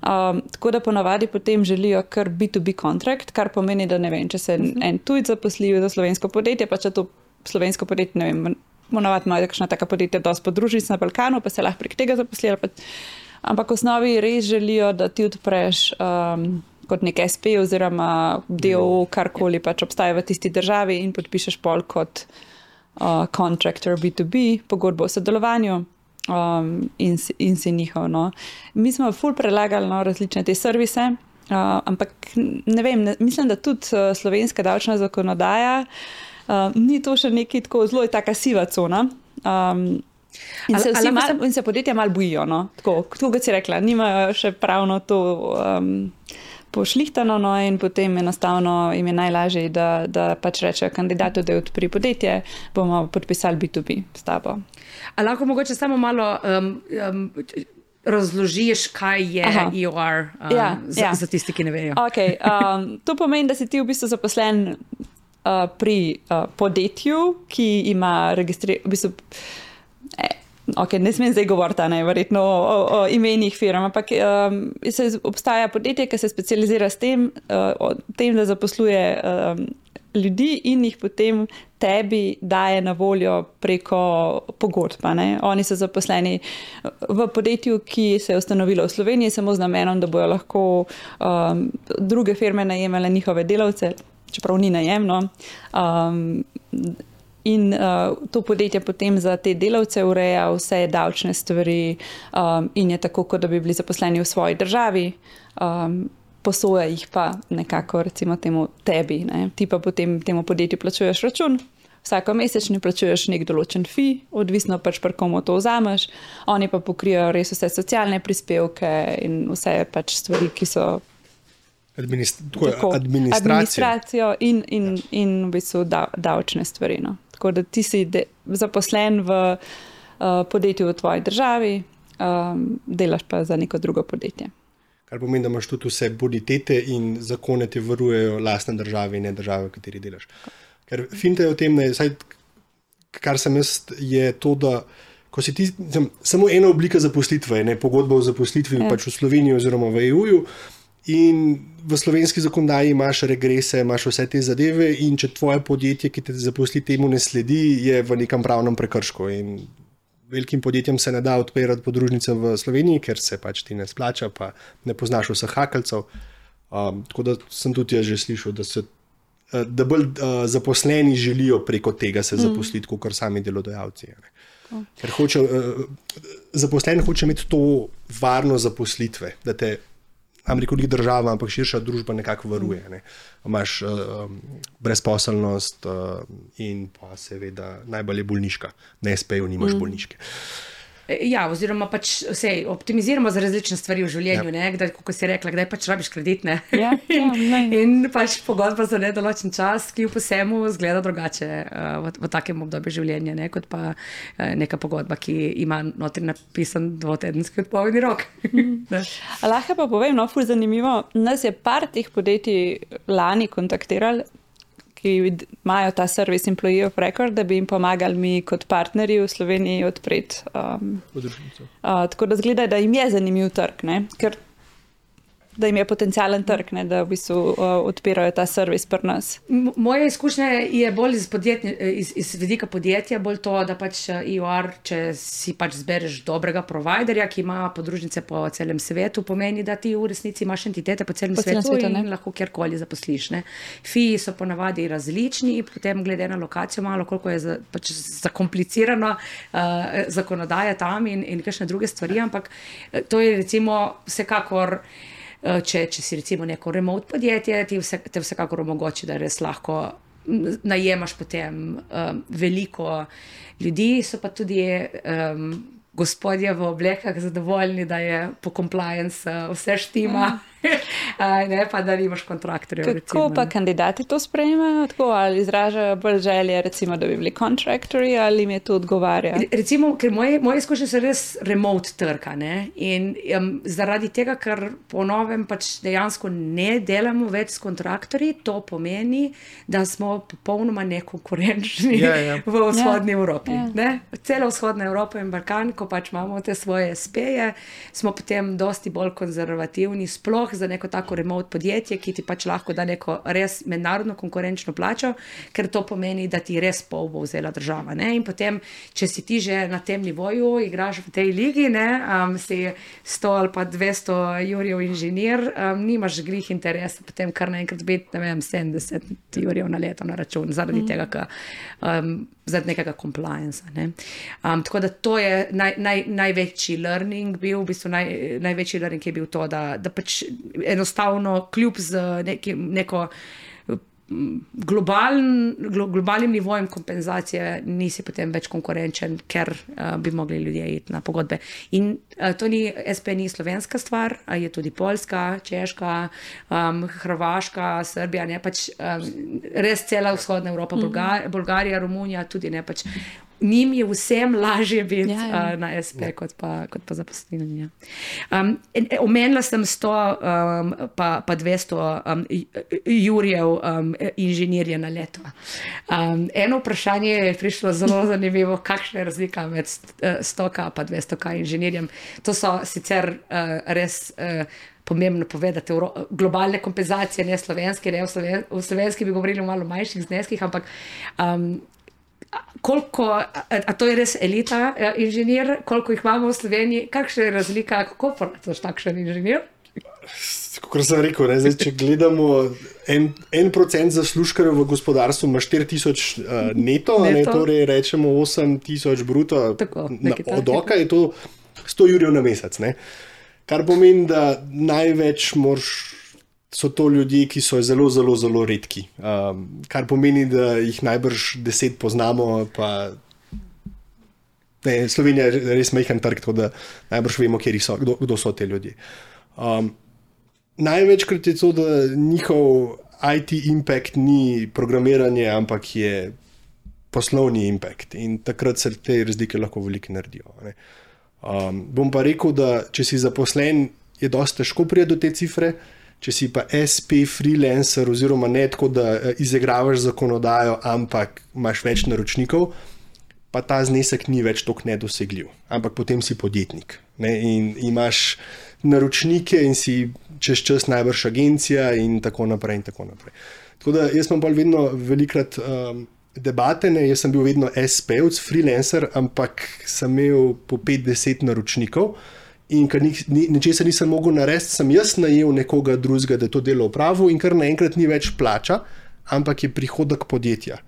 tako da ponavadi potem želijo kar B2B kontrakt, kar pomeni, da ne vem, če se en tujc zaposli za slovensko podjetje, pa če to slovensko podjetje, ne vem, ponavadi imajo kakšna taka podjetja dosti podružnic na Balkanu, pa se lahko prek tega zaposlijo. Ampak v osnovi res želijo, da ti odpreš kot nek SP oziroma DOO, karkoli pač obstaja v tisti državi in podpišeš pol kot contractor B2B, pogodbo o sodelovanju in si njihov. Mi smo ful predlagali različne te servise, ampak ne vem, mislim, da tudi slovenska davčna zakonodaja ni to še nekaj tako, zelo je taka siva cona. In se podjetja malo bojijo. Tako kot si rekla, nimajo še pravno to pošlihtano, in potem enostavno jim je najlažje, da pač rečejo kandidatu, da je odpri podjetje, bomo podpisali B2B s tabo. A lahko mogoče samo malo razložiš, kaj je EOR za tisti, ki ne vejo? Okay, to pomeni, da si ti v bistvu zaposlen pri podjetju, ki ima registriran, v bistvu, ne smem zdaj govoriti, verjetno o imenih firm, ampak obstaja podjetje, ki se specializira s tem, da zaposluje ljudi in jih potem tebi daje na voljo preko pogodb. Oni so zaposleni v podjetju, ki se je ustanovilo v Sloveniji, samo z namenom, da bojo lahko druge firme najemale njihove delavce, čeprav ni najemno. In to podjetje potem za te delavce ureja vse davčne stvari in je tako, kot da bi bili zaposleni v svoji državi, posoja jih pa nekako recimo temu tebi. Ti pa potem temu podjetju plačuješ račun, vsako mesečni plačuješ nek določen fee, odvisno pač pri komu to vzameš, oni pa pokrijajo res vse socialne prispevke in vse pač stvari, ki so administracijo in v bistvu davčne stvari. Tako da ti si zaposlen v podjetju v tvoji državi, delaš pa za neko drugo podjetje. Kar pomeni, da imaš tudi vse bonitete in zakone te varujejo lastne države in ne države, v kateri delaš. Ker finta je v tem, kar sem jaz, je to, da ko si ti, samo ena oblika zaposlitve, pogodba o zaposlitvi pač v Sloveniji oziroma v EU-ju, in v slovenski zakonodaji imaš regrese, imaš vse te zadeve in če tvoje podjetje, ki te zaposli, temu ne sledi, je v nekem pravnem prekršku. In velikim podjetjem se ne da odpirati podružnice v Sloveniji, ker se pač ti ne splača, pa ne poznaš vseh hakeljcev. Tako da sem tudi jaz že slišal, da bolj zaposleni želijo preko tega se zaposliti, kot sami delodajalci. Ker zaposlen hoče imeti to varnost zaposlitve, da te ameriška država, ampak širša družba nekako varuje. Ne. Imaš brezposelnost in pa seveda najbolj je bolniška. Na SP-ju nimaš bolniške. Ja, oziroma pač optimiziramo za različne stvari v življenju, kdaj, kako si rekla, kdaj pač rabiš kredit, ne? In pač pogodba za nedoločen čas, ki v posemu zgleda drugače v takem obdobju življenja, ne? Kot pa neka pogodba, ki ima notri napisan 2-tedenski odpovedni rok. Lahko pa povem, ful zanimivo, nas je par teh podjetij lani kontaktirali, ki imajo ta service Employee of Record, da bi jim pomagali mi kot partnerji v Sloveniji odpreti. Tako da zgleda, da jim je zanimiv trg, ne? Ker da jim je potencialen trg, ne? Da v bistvu odpirajo ta servis pri nas. Moje izkušnje je bolj iz vidika podjetja, bolj to, da pač EOR, če si pač zbereš dobrega providerja, ki ima podružnice po celem svetu, pomeni, da ti v resnici imaš entitete po celem svetu in lahko kjerkoli zaposliš. Ne? Fiji so ponavadi različni, potem glede na lokacijo malo, koliko je pač zakomplicirana zakonodaja tam in kakšne druge stvari, ampak to je recimo vsekakor. Če si recimo neko remote podjetje, te vsekakor omogoči, da res lahko najemaš potem veliko ljudi, so pa tudi gospodje v oblekah zadovoljni, da je po compliance vse štima, ne pa da nimaš kontraktorjev. Kako recimo, pa kandidati to sprejemajo? Tako, ali izražajo bolj želje, recimo, da bi bili kontraktorji, ali jim je to odgovarja? Recimo, ker moje izkušnje so res remote trga, ne? In zaradi tega, ker po novem pač dejansko ne delamo več s kontraktorji, to pomeni, da smo popolnoma nekonkurenčni v vzhodni Evropi. Ne? Cela vzhodna Evropa in Balkan, ko pač imamo te svoje SP-je, smo potem dosti bolj konzervativni, sploh za neko tako remote podjetje, ki ti pač lahko da neko res mednarodno konkurenčno plačo, ker to pomeni, da ti res pol bo vzela država. Ne? In potem, če si ti že na tem nivoju, igraš v tej ligi, ne? Si 100 ali pa 200 jurjev inženir, nimaš glih interesa potem kar naenkrat biti, ne vem, 70 jurjev na leto na račun, zaradi tega, zaradi nekega compliance. Ne? Tako da to je največji learning bil, v bistvu največji learning je bil to, da pač enostavno kljub z neko globalnim nivojem kompenzacije nisi potem več konkurenčen, ker bi mogli ljudje iti na pogodbe. In to ni SP, ni slovenska stvar, je tudi Poljska, Češka, Hrvaška, Srbija, ne pač res cela vzhodna Evropa, Bolgarija, Romunija, tudi ne pač. Njim je vsem lažje biti na SP kot pa zaposleni. Omenila sem 100 pa 200 jurjev inženirja na leto. Eno vprašanje je prišlo zelo zanimivo, kakšna je razlika med 100 pa 200 inženirjem. To so sicer res pomembno povedati, globalne kompenzacije, ne slovenske, ne v slovenski bi govorili o malo manjših zneskih, ampak a to je res elita inženir, koliko jih imamo v Sloveniji, kakšna je razlika, kako plačaš takšen inženir? Kot sem rekel, ne, zdaj, če gledamo 1% zaslužkarjev v gospodarstvu ima 4,000 neto, ne, torej rečemo 8,000 bruto, od oka je to 100 jurjev na mesec. Ne. Kar pomeni, da največ so to ljudje, ki so zelo, zelo, zelo redki. Kar pomeni, da jih najbrž 10 poznamo, pa Slovenija je res majhen trg, tako da najbrž vemo, kdo so te ljudje. Največkrat je to, da njihov IT impact ni programiranje, ampak je poslovni impact. In takrat se te razlike lahko veliko naredijo. Ne. Bom pa rekel, da če si zaposlen, je dosti težko priti do te cifre. Če si pa SP freelancer oziroma ne tako, da izigravaš zakonodajo, ampak imaš več naročnikov, pa ta znesek ni več toliko nedosegljiv. Ampak potem si podjetnik, ne? In imaš naročnike in si čez čas najbrž agencija in tako naprej in tako naprej. Tako da jaz imam bolj vedno velikrat debate, ne? Jaz sem bil vedno SP-ovc, freelancer, ampak sem imel po 5-10 naročnikov. In ker nečesa nisem mogel narediti, sem jaz najel nekoga drugega, da je to delo opravil in kar naenkrat ni več plača, ampak je prihodek podjetja.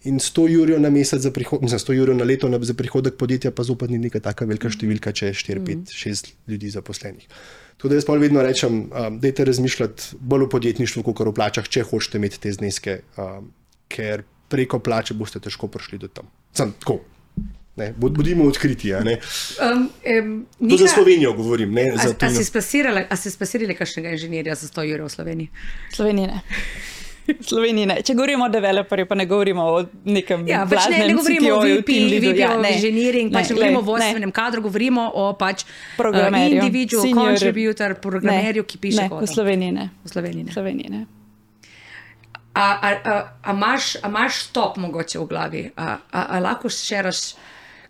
In 100 jurjev na mesec za prihodek, 100 jurjev na leto za prihodek podjetja, pa zopet ni neka taka velika številka, če je 4, 5, 6 ljudi zaposlenih. Tako da jaz pa vedno rečem, dajte razmišljati bolj o podjetništvu, kot o plačah, če hočete imeti te zneske, ker preko plače boste težko prišli do tam. Sam tako. Ne, bodimo odkriti. To za Slovenijo govorim. A si spasirali kakšnega inženirja za 100 jurjev v Sloveniji? Sloveniji ne. Če govorimo o developerju, pa ne govorimo o nekem blaznem ne govorimo o VP, engineering, ne govorimo o vodstvenem kadru, govorimo o individual contributor, programerju, ki piše kod. V Sloveniji ne. V Sloveniji ne. A imaš stop mogoče v glavi? A lahko šeraš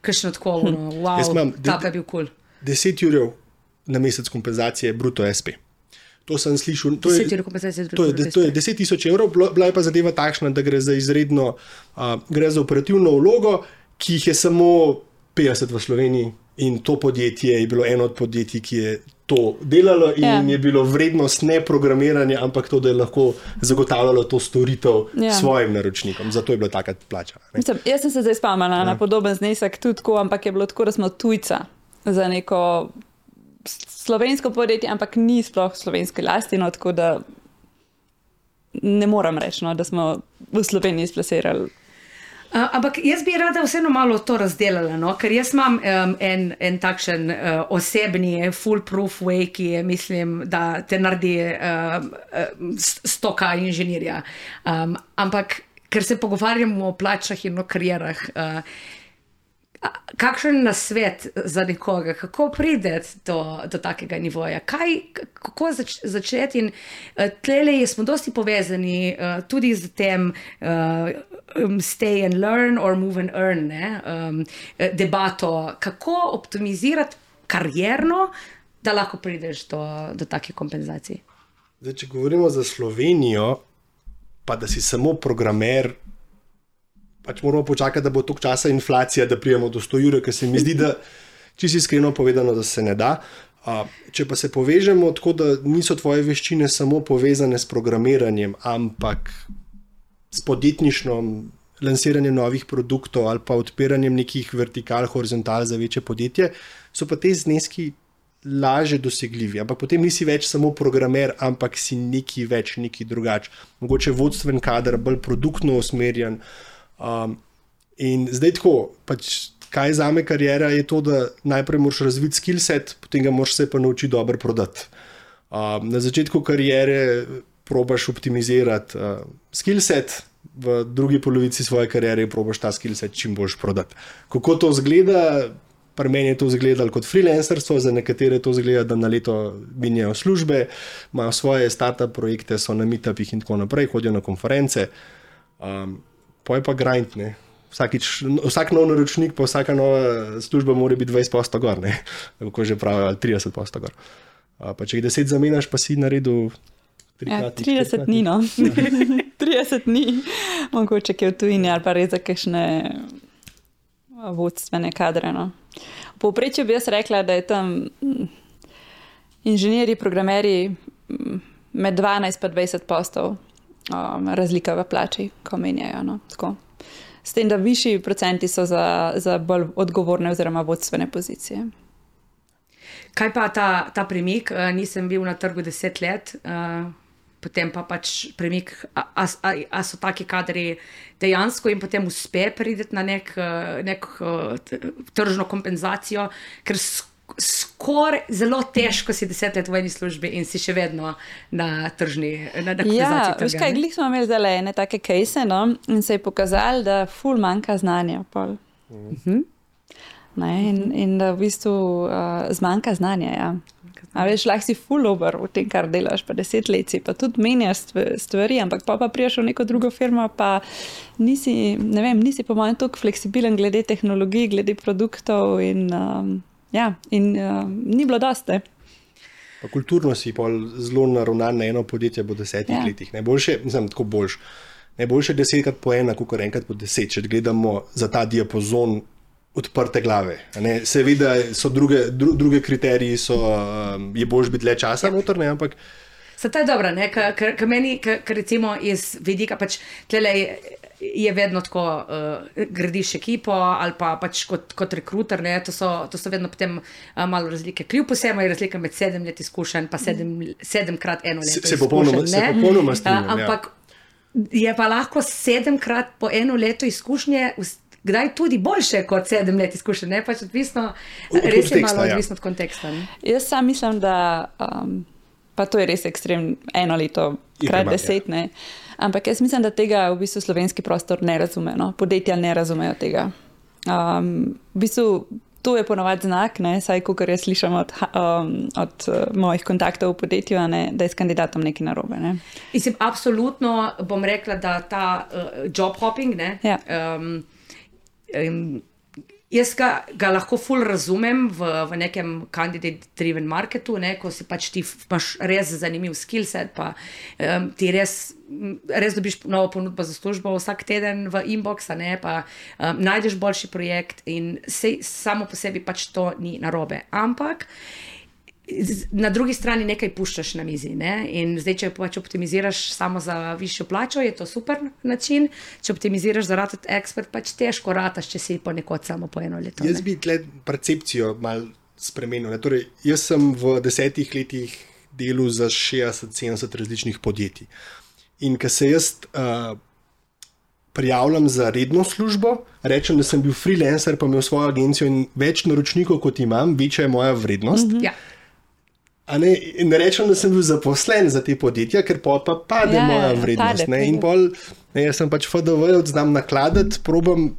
kakšno tako, wow, tako je bil cool. 10 jurjev na mesec kompenzacije bruto SP. To sem slišal. To je 10 000 evrov, bila je pa zadeva takšna, da gre za izredno, gre za operativno vlogo, ki jih je samo 50 v Sloveniji in to podjetje je bilo eno od podjetij, ki je to delalo in je bilo vrednost ne programiranja, ampak to, da je lahko zagotavljalo to storitev svojim naročnikom. Zato je bila taka plača. Mislim, jaz sem se zdaj spomnila na podoben znesek tudi tako, ampak je bilo tako, da smo tujca za neko slovensko podjetje, ampak ni sploh slovenske lasti, no, tako da ne moram reči, no, da smo v Sloveniji splasirali. Ampak jaz bi rada vseeno malo to razdelala, no? Ker jaz imam en takšen osebni foolproof way, ki je, mislim, da te naredi stoka inženirja. Ampak ker se pogovarjamo o plačah in o karierah, kakšen nasvet za nekoga, kako priti do takega nivoja, kako začeti in tlele smo dosti povezani tudi z tem stay and learn or move and earn, debato, kako optimizirati karierno, da lahko prideš do takih kompenzacij. Zdaj, če govorimo za Slovenijo, pa da si samo programer, pač moramo počakati, da bo toliko časa inflacija, da prijemo do 100 jurjev, ker se mi zdi, da čisto iskreno povedano, da se ne da. Če pa se povežemo tako, da niso tvoje veščine samo povezane s programiranjem, ampak s podjetništvom, lansiranjem novih produktov ali pa odpiranjem nekih vertikal, horizontal za večje podjetje, so pa te zneski lažje dosegljivi. Ampak potem nisi več samo programer, ampak si neki več, neki drugač. Mogoče vodstven kader, bolj produktno usmerjen. In zdaj tako, pač, kaj zame karijera je to, da najprej moraš razviti skillset, potem ga moraš se pa naučiti dobro prodati. Na začetku karijere probaš optimizirati skillset, v drugi polovici svoje karijere probaš ta skillset čim boljš prodati. Kako to izgleda? Pri meni je to izgledalo kot freelancerstvo, za nekatere to izgleda, da na leto menjajo službe, imajo svoje startup projekte, so na meetupih in tako naprej, hodijo na konference. Poj pa grind, ne. Vsak nov naročnik, pa vsaka nova služba mora biti 20% gor, ne. Kako že pravijo, 30% gor. Pa če jih 10 zamenjaš, pa si naredil 30 dni, no. 30 dni, mogoče je v tujini ali pa res za kakšne vodstvene kadre, no. V povprečju bi jaz rekla, da je tam inženirji, programerji med 12 pa 20% razlika v plači, ko menjajo, no, tako. S tem, da višji procenti so za bolj odgovorne oziroma vodstvene pozicije. Kaj pa ta premik? Nisem bil na trgu 10 let, potem pa pač premik, a so taki kadri dejansko in potem uspe prideti na nek tržno kompenzacijo, ker skoraj zelo težko si 10 let v eni službi in si še vedno na tržni kompenzaciji trga. Veš kaj, glih smo imeli zdaj ene take case, no, in se je pokazalo, da ful manjka znanja pol. Ne, in da v bistvu zmanjka znanja, ja. A veš, lahko si full over v tem, kar delaš, pa 10 let si, pa tudi menjaš stvari, ampak pa prijaš v neko drugo firmo, pa nisi po mojem toliko fleksibilen glede tehnologij, glede produktov in ni bilo dosti. Pa kulturno si pol zelo naravnan na eno podjetje po 10 letih. Najboljše, tako boljš. Najboljše 10krat po ena, kot enkrat po 10, če gledamo za ta diapazon odprte glave. Seveda so druge kriteriji, je boljš biti le časa noter, ne, ampak... To je dobro, ker meni, ker recimo iz vidika, pač tlele je vedno tako, gradiš ekipo ali pa pač kot rekruter, ne, to so vedno potem malo razlike. Kljub vsemu je razlika med 7 let izkušenj pa 7x 1 leto Se popolnoma strinjam. Ampak je pa lahko 7x po 1 leto izkušnje kdaj tudi boljše kot 7 let izkušenj, ne? Pač odvisno, res je malo odvisno od konteksta. Ne? Jaz sam mislim, da pa to je res ekstrem 1 leto krat 10, ne? Ampak jaz mislim, da tega v bistvu slovenski prostor ne razume, no? Podjetja ne razumejo tega. V bistvu to je ponovadi znak, ne? Saj kakor jaz slišam od mojih kontaktov v podjetju, ne? Da je s kandidatom nekaj narobe. Ne? Mislim, absolutno bom rekla, da ta job hopping, ne? Ja. Jaz ga lahko ful razumem v nekem candidate-driven marketu, ne, ko si pač ti imaš res zanimiv skillset, pa ti res dobiš novo ponudbo za službo vsak teden v inbox, ne, pa najdeš boljši projekt in samo po sebi pač to ni narobe. Ampak na drugi strani nekaj puščaš na mizi, ne? In zdaj, če pač optimiziraš samo za višjo plačo, je to super način, če optimiziraš za ratati ekspert, pač težko rataš, če si ponekod samo po 1 leto. Jaz bi tle percepcijo malo spremenil. Torej, jaz sem v 10 letih delal za 60-70 različnih podjetij. In ko se jaz prijavljam za redno službo, rečem, da sem bil freelancer, pa imel svojo agencijo in več naročnikov, kot imam, večja je moja vrednost. Ja. Ne rečem, da sem bil zaposlen za te podjetja, ker pa pade moja vrednost. In pol, jaz sem pač FDV, znam nakladati, probam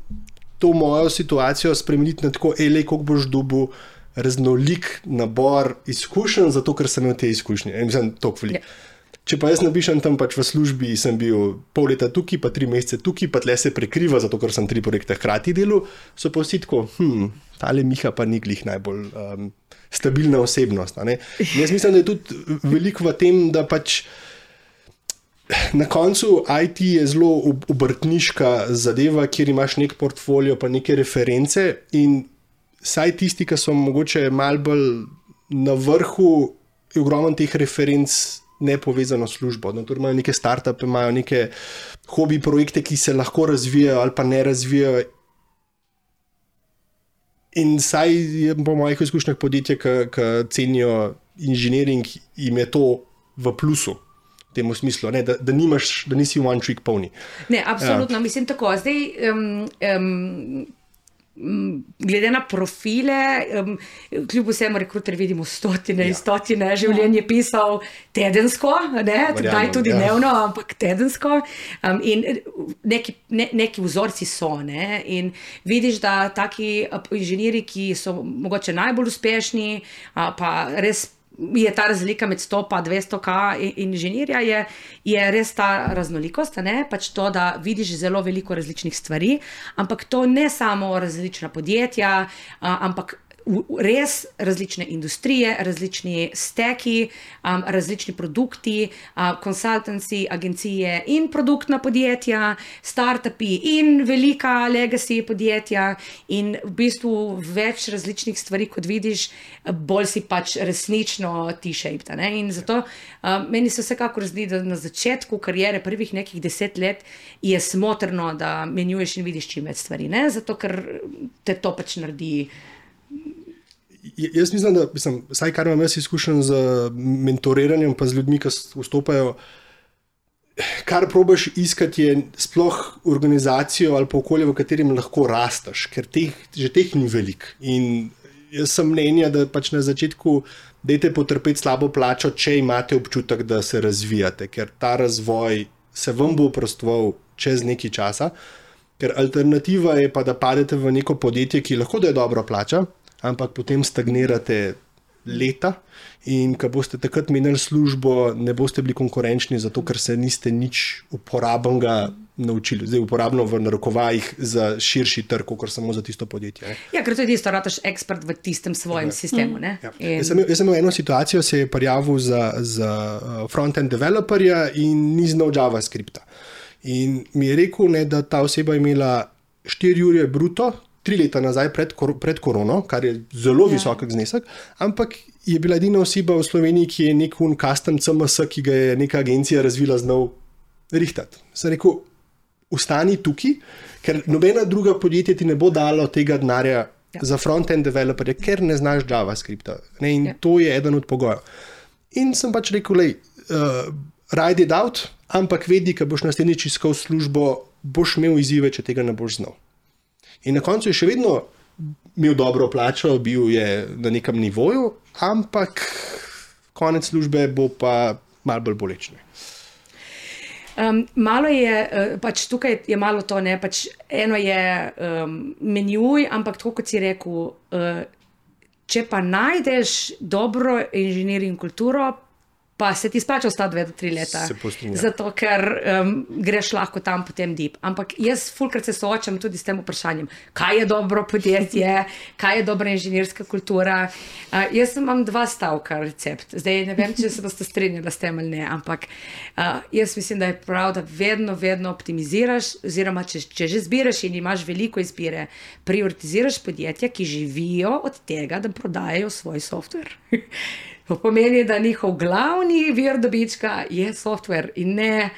to mojo situacijo spremeniti na tako, koliko boš dobil raznolik nabor izkušenj, zato ker sem imel te izkušnje. Mislim, toliko veliko. Če pa jaz napišem tam pač v službi, sem bil pol leta tukaj, pa 3 mesece tukaj, pa tle se prekriva, zato ker sem 3 projekte hkrati delal, so pa vsi tako, tale Miha pa ni glih najbolj stabilna osebnost. Jaz mislim, da je tudi veliko v tem, da pač na koncu IT je zelo obrtniška zadeva, kjer imaš nek portfolio, pa neke reference in saj tisti, ki so mogoče malo bolj na vrhu, je ogromno teh referenc nepovezano službo. Torej imajo neke startupe, imajo neke hobi projekte, ki se lahko razvijajo ali pa ne razvijajo. In saj je po mojih izkušnjah podjetje, ki cenijo inženiring, jim je to v plusu. V tem smislu, ne, da nisi one trick pony. Ne, absolutno, mislim tako. Zdaj, glede na profile, kljub vsemu rekruter vidimo stotine in stotine življenje pisal tedensko, ne, daj tudi dnevno, ampak tedensko. In neki vzorci so, ne, in vidiš, da taki inženirji, ki so mogoče najbolj uspešni, pa res je ta razlika med 100 pa 200k inženirja, je res ta raznolikost, ne? Pač to, da vidiš zelo veliko različnih stvari, ampak to ne samo različna podjetja, ampak res različne industrije, različni steki, različni produkti, consultancy, agencije in produktna podjetja, startupi in velika legacy podjetja in v bistvu več različnih stvari, kot vidiš, bolj si pač resnično T-shaped. In zato meni se vsekakor zdi, da na začetku kariere prvih nekih 10 let je smotrno, da menjuješ in vidiš čim več stvari, ne? Zato ker te to pač naredi. Jaz mislim, da vsaj kar imam jaz izkušen z mentoriranjem pa z ljudmi, ki vstopajo, kar probaš iskati je sploh organizacijo ali pa okolje, v katerem lahko rasteš, ker že teh ni veliko. In jaz sem mnenja, da pač na začetku dajte potrpeti slabo plačo, če imate občutek, da se razvijate, ker ta razvoj se vam bo oprostoval čez nekaj časa, ker alternativa je pa, da padete v neko podjetje, ki lahko da je dobro plača, ampak potem stagnirate leta in ko boste takrat menili službo, ne boste bili konkurenčni, zato ker se niste nič uporabnega naučili. Zdaj uporabno v narekovajih za širši trg, kot samo za tisto podjetje. Ne? Ja, ker to je tisto, rataš ekspert v tistem svojem sistemu. Ne? Ja. Jaz sem imel eno situacijo, se je prijavil za front-end developerja in ni znal JavaScripta. In mi je rekel, ne, da ta oseba imela 4 ure bruto, 3 leta nazaj pred korono, kar je zelo visok znesek, ampak je bila edina oseba v Sloveniji, ki je nek custom CMS, ki ga je neka agencija razvila, znal rihtati. Sem rekel, ostani tukaj, ker nobena druga podjetja ti ne bo dalo tega denarja za front-end developerje, ker ne znaš JavaScripta. In to je eden od pogojev. In sem pač rekel, ride it out, ampak vedi, ko boš naslednjič iskal službo, boš imel izzive, če tega ne boš znal. In na koncu je še vedno imel dobro plačo, bil je na nekem nivoju, ampak konec službe bo pa malo bolj bolečne. Malo je, pač tukaj je malo to, ne, pač eno je menjuj, ampak tako kot si rekel, če pa najdeš dobro inženirjing kulturo, pa se ti splača ostati 2 do 3 leta. Zato, ker greš lahko tam potem deep. Ampak jaz fulkrat se soočam tudi s tem vprašanjem, kaj je dobro podjetje, kaj je dobra inženirska kultura. Jaz imam 2 stavka recept. Zdaj ne vem, če se boste strinjali s tem ali ne, ampak jaz mislim, da je prav, da vedno optimiziraš, oziroma če že zbiraš in imaš veliko izbire, prioritiziraš podjetja, ki živijo od tega, da prodajajo svoj software. To pomeni, da njihov glavni vir dobička je software in ne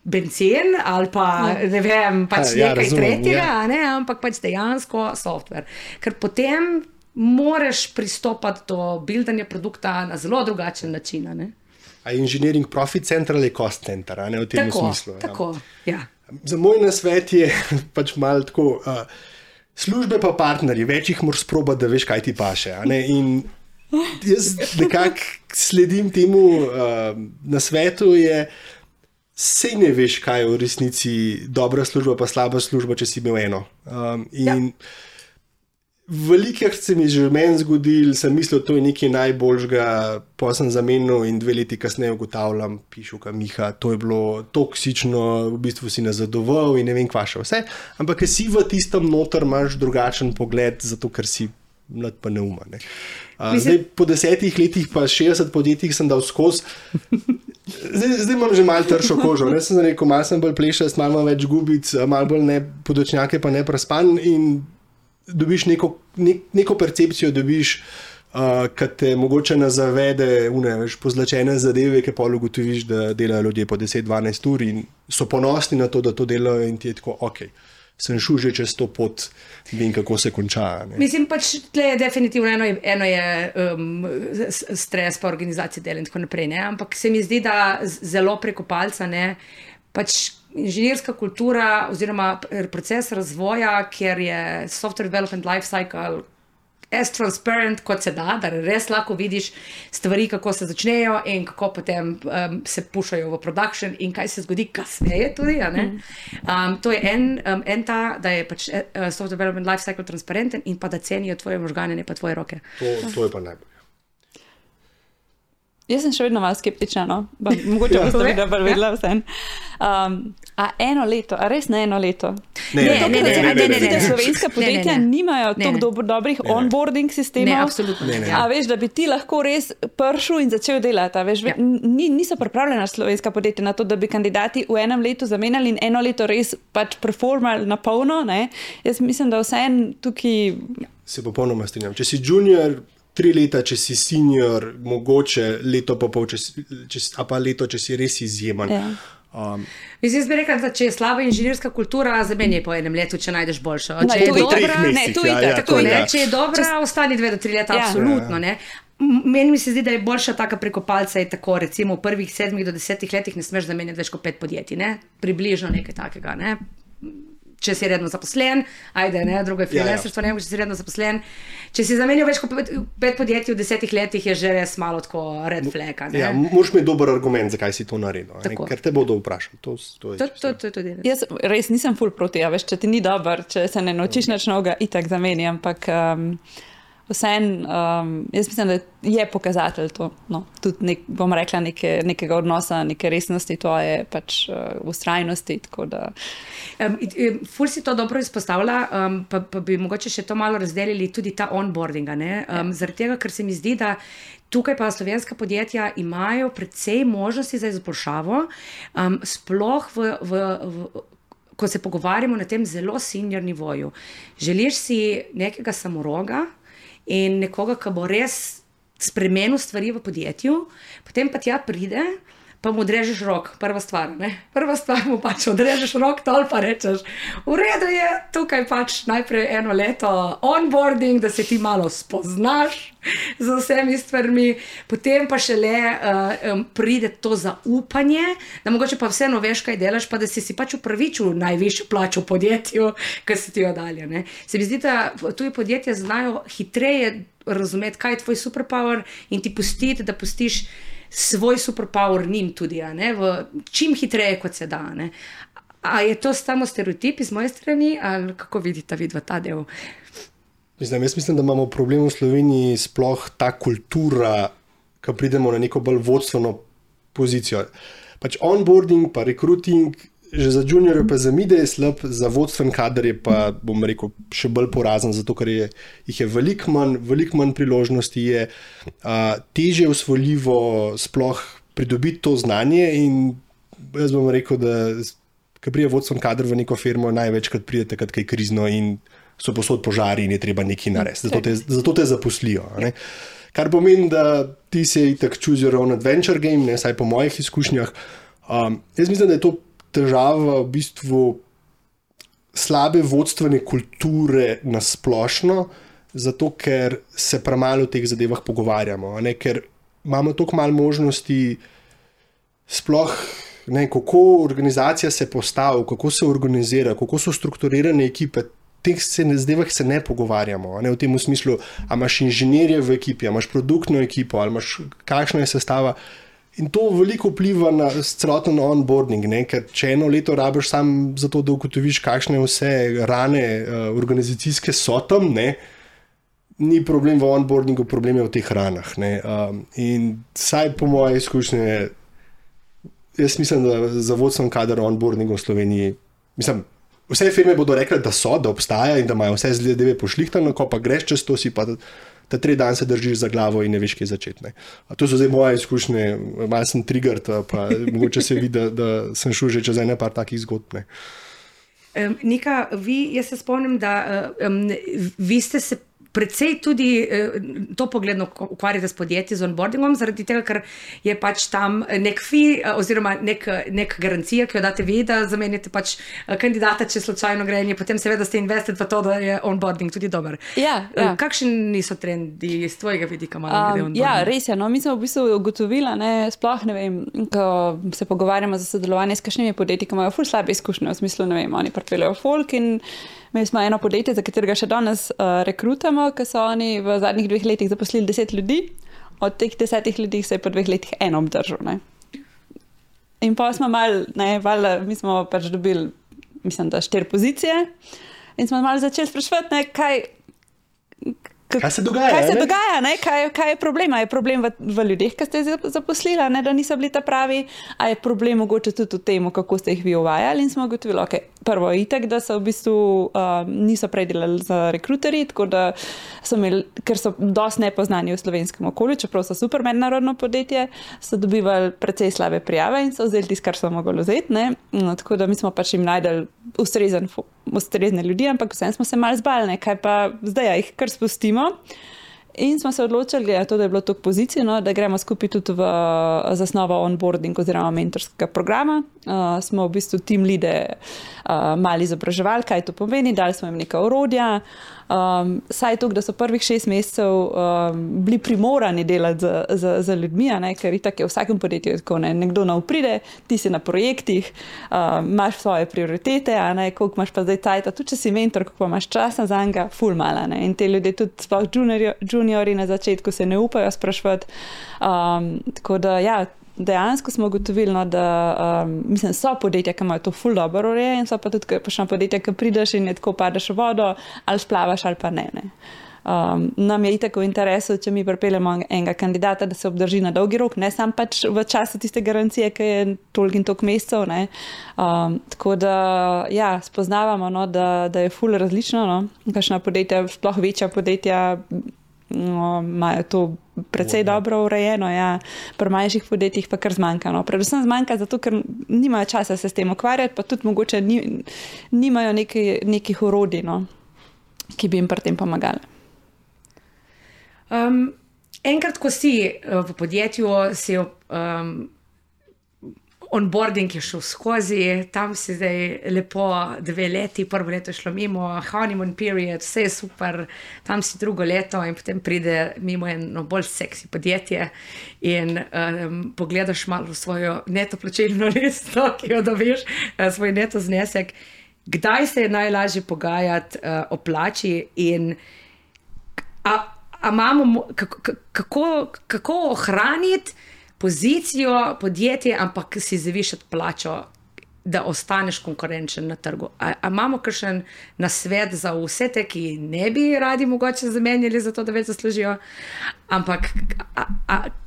bencin ali pa ne vem, pač nekaj tretjega, ne, ampak pač dejansko software. Ker potem moraš pristopati do buildanja produkta na zelo drugačen način. Ne? A engineering profit center ali cost center, ne v tem smislu. Tako, ja. Za moj nasvet je pač malo tako, službe pa partnerji, več jih moraš sprobati, da veš, kaj ti paše. In jaz nekako sledim temu nasvetu, sej ne veš, kaj je v resnici dobra služba pa slaba služba, če si imel eno. Velikih se mi že meni zgodil, sem mislil, to je nekaj najboljšega, pa sem zamenil in 2 leti kasneje ugotavljam, pišuka Miha, to je bilo toksično, v bistvu si nazadoval in ne vem kva še vse, ampak ker si v tistem noter imaš drugačen pogled, zato ker si mlad pa neuma. Ne. Zdaj, po 10 letih pa 60 podjetjih sem dal skozi. Zdaj imam že malo tršo kožo. Ne sem rekel, malo sem bolj plešast, malo več gubic, malo bolj podočnjake pa ne prespan in dobiš neko percepcijo, dobiš, ki te mogoče nazavede pozlačene zadeve, ki pa ugotoviš, da delajo ljudje po 10-12 ur in so ponosni na to, da to delajo in ti je tako, sem šel že čez to pot, vem, kako se konča. Ne? Mislim, pač tle je definitivno eno je stres pa organizacija dela in tako naprej, ne? Ampak se mi zdi, da zelo preko palca, ne, pač inženirska kultura oziroma proces razvoja, kjer je software development life cycle as transparent, kot se da res lahko vidiš stvari, kako se začnejo in kako potem se pušajo v production in kaj se zgodi kasneje tudi. To je ta, da je pač software development life cycle transparenten in pa da cenijo tvoje možgane, ne pa tvoje roke. To je pa najbolj. Jaz sem še vedno malo skeptična, no? Mogoče boste videla vse. A eno leto, a res ne eno leto? Ne. Slovenska podjetja nimajo toliko dobrih onboarding sistemov. Ne, absolutno ne. A veš, da bi ti lahko res prišel in začel delati. Veš, niso pripravljena slovenska podjetja na to, da bi kandidati v enem letu zamenjali in eno leto res pač performali na polno. Ne? Jaz mislim, da vseeno tukaj... Se popolnoma strinjam. Če si junior, 3 leta, če si senior, mogoče leto pa pol, a pa leto, če si res izjemen. Mislim, jaz bi rekla, da če je slaba inženirska kultura, zamenjaj po enem letu, če najdeš boljšo. Če je dobra, ostani 2 do 3 leta, absolutno. Ne? Meni mi se zdi, da je boljša taka preko palca, je tako, recimo v prvih 7 do 10 letih ne smeš zamenjati več kot 5 podjetij, ne? Približno nekaj takega, ne? Če si redno zaposlen, drugo je freelancerstvo, če si redno zaposlen. Če si zamenjal več kot 5 podjetij v 10 letih, je že res malo tako red flag. Moraš imeti dober argument, zakaj si to naredil, ker te bodo vprašali. To je jaz res nisem ful proti, veš, če ti ni dober, če se ne naučiš nič novega, itak zameni, ampak vseeno, jaz mislim, da je pokazatelj to, no, tudi bom rekla nekega odnosa, neke resnosti, to je pač vztrajnosti, tako da... Ful si to dobro izpostavlja, pa bi mogoče še to malo razdelili tudi ta onboardinga, ne? Zaradi tega, ker se mi zdi, da tukaj pa slovenska podjetja imajo precej možnosti za izboljšavo, sploh ko se pogovarjamo na tem zelo senior nivoju. Želiš si nekega samoroga in nekoga, ki bo res spremenil stvari v podjetju, potem pa tja pride, pa mu odrežeš rok, prva stvar, ne? Prva stvar mu pač odrežeš rok, tol pa rečeš, v redu je, tukaj pač najprej 1 leto onboarding, da se ti malo spoznaš z vsemi stvarmi, potem pa šele pride to zaupanje, da mogoče pa vseeno veš, kaj delaš, pa da si pač upravičil najvišjo plačo v podjetju, ker si ti jo dalje, ne? Se mi zdi, da tuji podjetja znajo hitreje razumeti, kaj je tvoj superpower in ti pustiti, da pustiš svoj superpower njim tudi, ne? Čim hitreje, kot se da. Ne? A je to samo stereotip iz moje strani, ali kako vidite vidva ta del? Jaz mislim, da imamo problem v Sloveniji sploh ta kultura, ko pridemo na neko bolj vodstveno pozicijo. Pač onboarding pa recruiting, že za juniorje pa za mide je slab, za vodstven kader je pa, bom rekel, še bolj porazen, zato ker jih je veliko manj priložnosti, je težje usvojljivo sploh pridobiti to znanje in jaz bom rekel, da ko pride vodstven kader v neko firmo, največkrat pride takrat, kaj krizno in so posod požari in je treba nekaj narediti. Zato te zaposlijo. Ne? Kar pomeni, da ti se itak choose your own adventure game, ne, saj po mojih izkušnjah. Jaz mislim, da je to težava v bistvu slabe vodstvene kulture na splošno, zato ker se premalo o teh zadevah pogovarjamo, ne? Ker imamo toliko malo možnosti sploh, ne, kako organizacija se postavi, kako se organizira, kako so strukturirane ekipe, teh zadevah se ne pogovarjamo, ne? V tem smislu, a imaš inženirje v ekipi, a imaš produktno ekipo, ali imaš kakšna je sestava. In to veliko vpliva na celoten onboarding, ne? Ker če 1 leto rabiš sam zato, da ugotoviš, kakšne vse rane organizacijske so tam, ne? Ni problem v onboardingu, problem je v teh ranah. Ne? In saj po moje izkušnje, jaz mislim, da za vodstven kader onboarding v Sloveniji, mislim, vse firme bodo rekli, da obstaja in da imajo vse zadeve pošlihtano, ko pa greš čez to, si pa ta 3 dan se držiš za glavo in ne veš, kaj začeti. To so zdaj moje izkušnje, malo sem triggered, pa mogoče se vidi, da sem šel že čez ene par takih zgodb. Nika, jaz se spomnim, da vi ste se precej tudi to pogledno ukvarjate s podjetji, z onboardingom, zaradi tega, ker je pač tam nek fee oziroma nek garancija, ki jo date vi, da zamenjate pač kandidata, če slučajno gre in potem seveda ste invested v to, da je onboarding tudi dober. Ja. Kakšni so trendi iz tvojega vidika malo glede onboardinga? Ja, res je. No, mi smo v bistvu ugotovili, sploh ne vem, ko se pogovarjamo za sodelovanje s kakšnimi podjetji, ki imajo ful slabe izkušnje, v smislu, ne vem, oni pripeljejo folk in imeli smo eno podjetje, za katerega še danes rekrutamo, ki so oni v zadnjih 2 letih zaposlili 10 ljudi, od teh 10 ljudi se je po 2 letih eno obdržal. Ne? In pa smo mi smo pač dobili, mislim, da 4 pozicije in smo malo začeli spraševati, kaj se dogaja? Kaj je problem? A je problem v ljudeh, ki ste zaposlili, ne, da niso bili ta pravi? A je problem mogoče tudi v tem, kako ste jih vi uvajali? In smo ugotovili, prvo itak, da so v bistvu niso prej delali za rekruterji, tako da so imeli, ker so dosti nepoznani v slovenskem okolju, čeprav so super mednarodno podjetje, so dobivali precej slabe prijave in so vzeli tisto, kar so mogli vzeti. Ne? No, tako da mi smo pač jim najdeli ustrezne ljudi, ampak vsem smo se malo zbali, kaj pa zdaj jih kar spustimo. In smo se odločili, da je bilo toliko pozicij, da gremo skupaj tudi v zasnovo onboarding oziroma mentorskega programa. Smo v bistvu team leade malo izobraževali, kaj to pomeni, dali smo jim neka orodja. Saj to, da so prvih 6 mesecev bili primorani delati za ljudmi, ker itak je v vsakem podjetju tako, nekdo nov pride, ti si na projektih, imaš svoje prioritete, koliko imaš pa zdaj cajta, tudi če si mentor, koliko pa imaš časa za njega, ful mala. In te ljudje tudi sploh juniori na začetku se ne upajo spraševati. Tako da ja, dejansko smo ugotovili, da mislim, so podjetja, ki imajo to ful dobro ureje in so pa tudi kakšna podjetja, ki prideš in je tako padeš v vodo, ali splavaš ali pa ne. Nam je itak v interesu, če mi pripeljemo enega kandidata, da se obdrži na dolgi rok, ne sam pač v času tiste garancije, ki je toliko in toliko mesecev. Tako da ja, spoznavamo, da je ful različno. Kakšna podjetja, sploh večja podjetja, imajo to precej dobro urejeno, ja. Pri manjših podjetjih pa kar zmanjka. Predvsem zmanjka zato, ker nimajo časa se s tem ukvarjati, pa tudi mogoče nimajo nekih orodij, ki bi jim pri tem pomagali. Enkrat, ko si v podjetju, si onboarding je šel skozi, tam si zdaj lepo 2 leti, prvo leto je šlo mimo, honeymoon period, vse je super, tam si drugo leto in potem pride mimo eno bolj seksi podjetje in pogledaš malo svojo neto plačilno listo, ki jo dobiš, svoj neto znesek. Kdaj se je najlažje pogajati o plači in kako ohraniti pozicijo podjetja, ampak si zavišati plačo, da ostaneš konkurenčen na trgu. A imamo kakšen nasvet za vse te, ki ne bi radi mogoče zamenjali za to, da več zaslužijo, ampak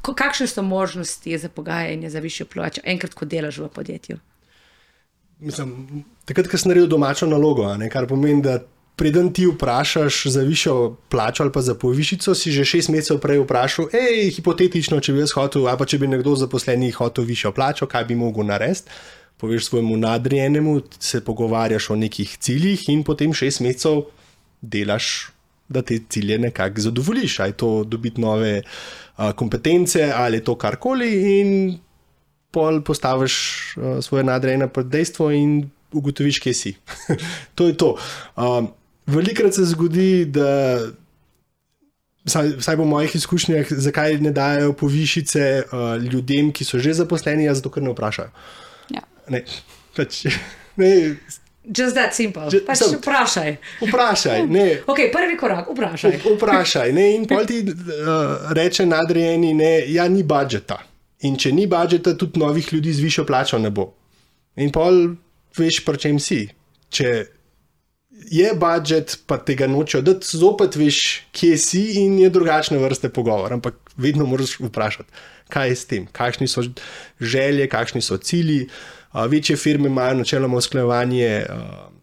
kakšne so možnosti za pogajanje za višjo plačo, enkrat, ko delaš v podjetju? Mislim, takrat, ko si naredil domačo nalogo, kar pomeni, da preden ti vprašaš za višjo plačo ali pa za povišico, si že 6 mesecev prej vprašal, hipotetično, če bi jaz hotel, ali pa če bi nekdo zaposleni hotel višjo plačo, kaj bi mogel narediti, poveš svojemu nadrejenemu, se pogovarjaš o nekih ciljih in potem 6 mesecev delaš, da te cilje nekako zadovoljiš, ali to dobiti nove kompetence, ali je to karkoli in pol postaviš svoje nadrejene pred dejstvo in ugotoviš, kje si. To je to. Velikrat se zgodi, da vsaj po mojih izkušnjah, zakaj ne dajo povišice ljudem, ki so že zaposleni, zato ker ne vprašajo. Ja. Ne. Just that simple. Vprašaj. Vprašaj. Ne. Ok, prvi korak, vprašaj. Vprašaj. Ne. In pol ti reče nadrejeni, ja, ni budžeta. In če ni budžeta, tudi novih ljudi z višjo plačo ne bo. In pol veš, pri čem si. Če je budžet, pa tega nočejo dati, zopet veš, kje si in je drugačne vrste pogovor. Ampak vedno moraš vprašati, kaj je s tem, kakšni so želje, kakšni so cilji. Večje firme imajo načeloma usklajevanje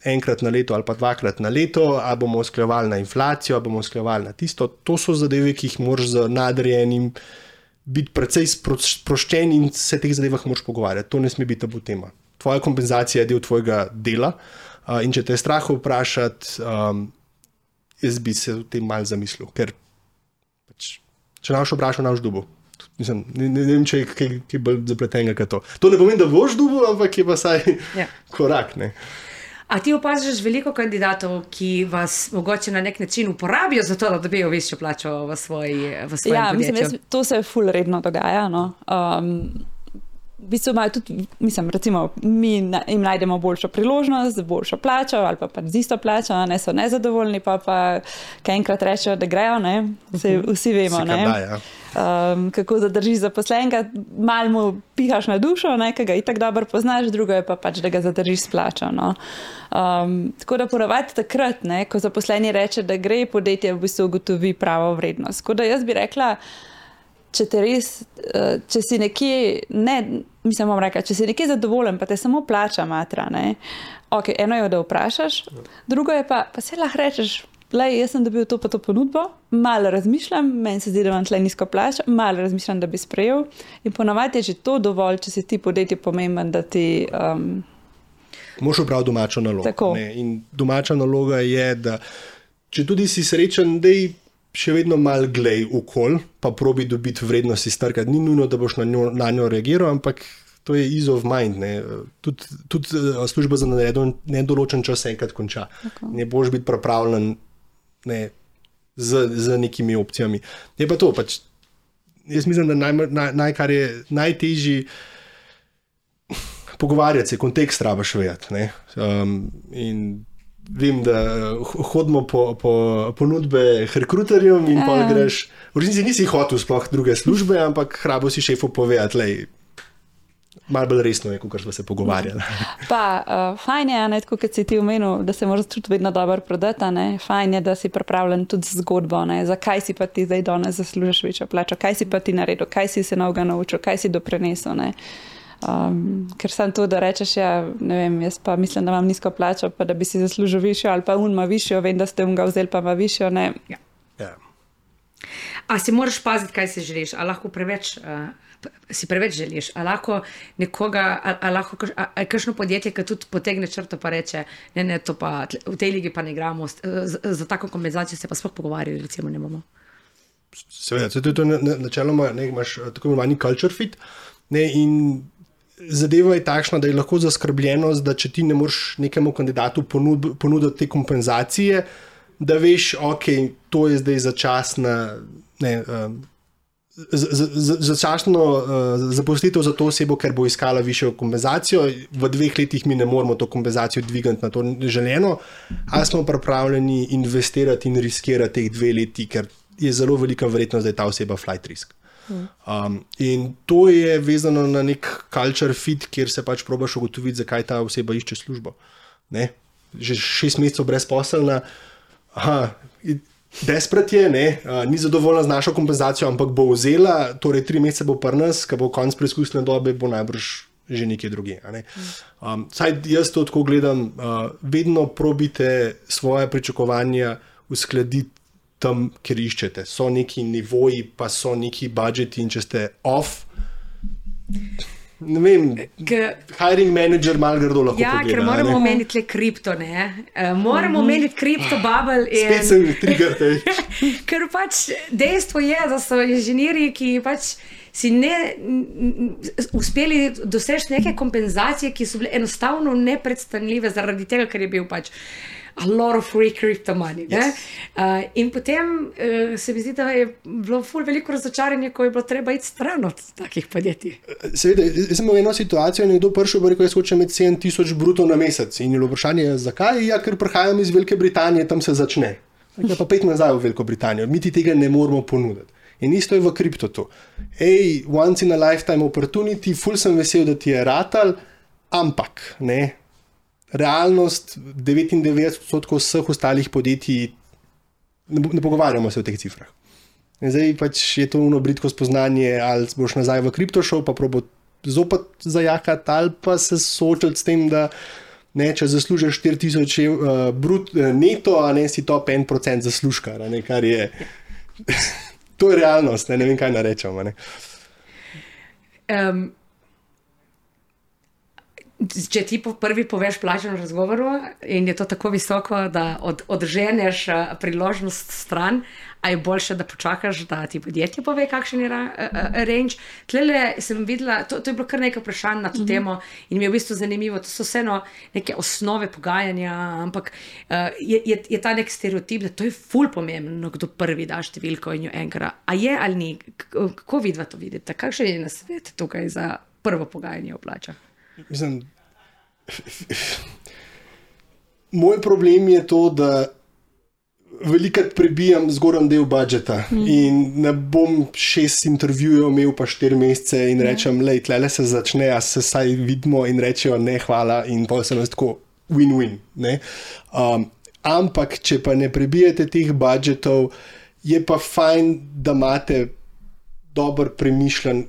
enkrat na leto ali pa 2-krat na leto, a bomo usklajevali na inflacijo, a bomo usklajevali na tisto. To so zadeve, ki jih moraš z nadrejenim biti precej sproščen in se teh zadevah moraš pogovarjati. To ne sme biti tabu tema. Tvoja kompenzacija je del tvojega dela in če te je strah vprašati, jaz bi se o tem malo zamislil, ker če naš vprašal, naš dubo. Mislim, ne vem, če je kaj bolj zapletenega kot to. To ne pomeni, da boš dubo, ampak je pa saj korak. Ne? A ti opaziš veliko kandidatov, ki vas mogoče na nek način uporabijo za to, da dobijo višjo plačo v svojem podjetju? Mislim, to se ful redno dogaja. No. V bistvu imajo tudi, recimo, mi jim najdemo boljšo priložnost, z boljšo plačo ali pa z isto plačo, ne so nezadovoljni, pa kaj enkrat rečejo, da grejo, ne? Vsi vemo, ne? Kako zadržiš zaposlenega, malo mu pihaš na dušo, ne? Ki ga itak dobro poznaš, drugo je pa da ga zadržiš s plačo. No? Tako da ponavadi takrat, ne, ko zaposleni reče, da gre, podjetje v bistvu ugotovi pravo vrednost. Tako da jaz bi rekla, če si nekje, če si nekje zadovoljen, pa te samo plača matra, ne? Ok, eno je, da vprašaš, drugo je pa se lahko rečeš, jaz sem dobil to pa to ponudbo, malo razmišljam, meni se zdi, da imam tle nizko plačo, malo razmišljam, da bi sprejel in ponavadi je že to dovolj, če si ti podjetje pomemben, da ti... Moš opraviti domačo nalogo. Ne? In domača naloga je, da če tudi si srečen, da še vedno malo glej okol, pa probi dobiti vrednost iz trga. Ni nujno, da boš na njo reagiral, ampak to je ease of mind. Tudi služba za nedoločen čas enkrat konča. Okay. Ne boš biti pripravljen z nekimi opcijami. Je pa to, jaz mislim, da kar je najtežji pogovarjati se, kontekst rabaš vedeti. In vem, da hodimo po ponudbe rekruterjem in pol greš, v resnici nisi hotel sploh druge službe, ampak hrabo si šefu povedati, malo bolj resno je, kot smo se pogovarjali. Pa fajn je, tako kot si ti omenil, da se moraš tudi vedno dobro prodati, fajn je, da si pripravljen tudi z zgodbo, zakaj si pa ti zdaj danes zaslužiš večjo plačo, kaj si pa ti naredil, kaj si se novega naučil, kaj si doprinesel, ker sam to, da rečeš, ne vem, jaz pa mislim, da imam nizko plačo, pa da bi si zaslužil višjo, ali pa ima višjo, vem, da ste ga vzeli, pa ima višjo, ne. Ja. A si moraš paziti, kaj si želiš, a lahko si preveč želiš, a lahko nekoga, a lahko kakšno podjetje, ki tudi potegne črto pa reče, ne, to pa v tej ligi pa ne igramo, za tako kompenzacijo se pa sploh pogovarjali, recimo ne bomo. Seveda, to je to načeloma, imaš tako imenovani culture fit, in zadeva je takšna, da je lahko zaskrbljenost, da če ti ne moreš nekemu kandidatu ponuditi te kompenzacije, da veš, ok, to je zdaj začasna, začasno zaposlitev za to osebo, ker bo iskala višjo kompenzacijo, v 2 letih mi ne moramo to kompenzacijo dvigati na to želeno, ali smo pripravljeni investirati in riskirati teh 2 leti, ker je zelo velika verjetnost, da je ta oseba flight risk. In to je vezano na nek culture fit, kjer se pač probaš ugotoviti, zakaj ta oseba išče službo. Ne? Že 6 mesecev brezposelna, desperat je, ni zadovoljna z našo kompenzacijo, ampak bo vzela, torej 3 mesece bo pri nas, ko bo konc preizkusne dobe, bo najbrž že nekje drugje. Saj jaz to tako gledam, vedno probite svoje pričakovanja uskladiti tam, kjer iščete. So neki nivoji, pa so neki budžeti in če ste off, ne vem, hiring manager malo grdo lahko pogleda. Ker moramo omeniti le kripto, ne? Moramo omeniti kripto bubble. Spet sem trigger. Ker pač dejstvo je, da so inženirji, ki pač si uspeli doseči neke kompenzacije, ki so bile enostavno nepredstavljive zaradi tega, ker je bil pač a lot of free crypto money. Yes. In potem se mi zdi, da je bilo veliko razočaranje, ko je bilo treba iti stran od takih podjetij. Seveda, jaz sem imel eno situacijo, nekdo prišel in rekel, jaz hočem imeti 7,000 bruto na mesec. In je bilo vprašanje, zakaj? Ja, ker prihajam iz Velike Britanije, tam se začne. Pa 5 nazaj v Veliko Britanijo. Mi ti tega ne moramo ponuditi. In isto je v kriptotu. Once in a lifetime opportunity, ful sem vesel, da ti je ratal, ampak, ne, realnost 99% vseh ostalih podjetij, ne pogovarjamo se o teh cifrah. In zdaj pač je to bridko spoznanje, ali boš nazaj v kripto šel, pa probo zopet zajakati, ali pa se soočati s tem, da ne, če zaslužiš 4,000 neto, a ne si top 1% zaslužka, ne, kar je to je realnost, ne vem, kaj narečem. Če ti prvi poveš plačo na razgovoru in je to tako visoko, da odženeš priložnost stran, a je boljše, da počakaš, da ti podjetje pove, kakšen je range. Tlele sem videla, to je bilo kar nekaj vprašanj na to temo in mi je v bistvu zanimivo, to so vseeno neke osnove pogajanja, ampak je ta nek stereotip, da to je ful pomembno, kdo prvi da številko in jo enkrat. A je ali ni? Kako vidva to vidite? Kakšen je nasvet tukaj za prvo pogajanje o plačah? Mislim, moj problem je to, da velikrat prebijam zgornji del budžeta in ne bom 6 intervjujev imel pa 4 mesece in rečem, lej, tlele se začne, a se saj vidimo in rečejo ne, hvala in pa se nas tako win-win. Ampak, če pa ne prebijete teh budžetov, je pa fajn, da imate dober premišljen,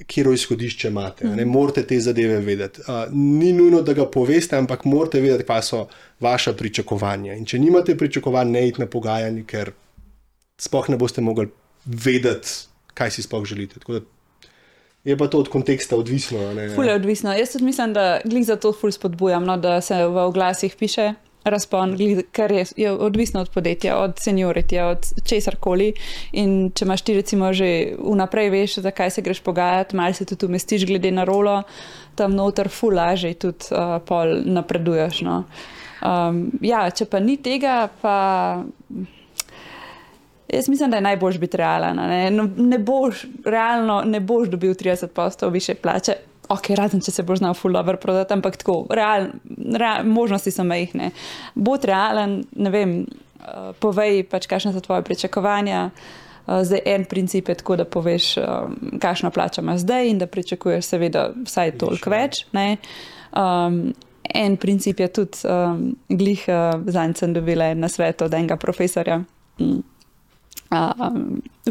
kjero izhodišče imate. Ne morate te zadeve vedeti. Ni nujno, da ga poveste, ampak morate vedeti, kaj so vaša pričakovanja. In če nimate pričakovanj, ne iti na pogajanje, ker sploh ne boste mogli vedeti, kaj si sploh želite. Tako da je pa to od konteksta odvisno. Ful je odvisno. Jaz tudi mislim, da glih za to ful spodbujam, da se v oglasih piše razpon, ker je odvisno od podjetja, od senioritija, od česarkoli. In če imaš ti recimo že vnaprej veš, zakaj se greš pogajati, malo se tudi umestiš glede na rolo, tam noter ful lažje tudi pol napreduješ. No. Če pa ni tega, pa jaz mislim, da je najboljš biti realen. Realno ne boš dobil 30% više plače. Ok, razen, če se boš znal ful dobro prodati, ampak tako, možnosti so majhne. Bod realen, ne vem, povej pač, kakšne so tvoje pričakovanja. Zdaj en princip je tako, da poveš, kakšno plačo imaš zdaj in da pričakuješ seveda vsaj toliko več. Ne? En princip je tudi, glih zanj sem dobila na svet od enega profesorja.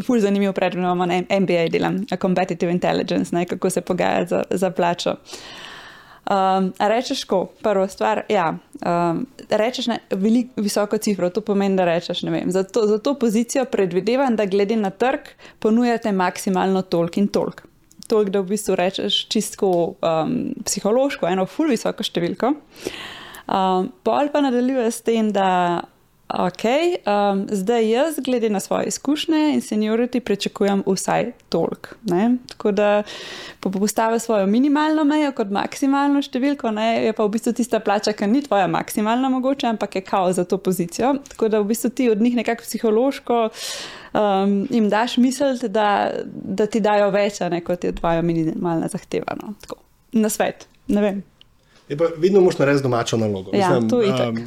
Ful zanimiv predmet, imamo na MBA delam, Competitive Intelligence, ne, kako se pogajati za plačo. Rečeš ko, prvo stvar, rečeš visoko cifro, to pomeni, da rečeš, ne vem, za to pozicijo predvidevam, da glede na trg ponujate maksimalno toliko in toliko. Toliko, da v bistvu rečeš čisto psihološko, eno ful visoko številko. Pol pa nadaljuje s tem, da Ok, zdaj jaz, glede na svoje izkušnje in seniority, pričakujem vsaj toliko. Tako da postavim svojo minimalno mejo kot maksimalno številko, je pa v bistvu tista plača, ki ni tvoja maksimalna mogoče, ampak je kao za to pozicijo. Tako da v bistvu ti od njih nekako psihološko jim daš misliti, da ti dajo več, kot je tvoja minimalna zahteva. No. Tako, na svet, ne vem. Vedno moraš narediti domačo nalogo. Ja, to je itak.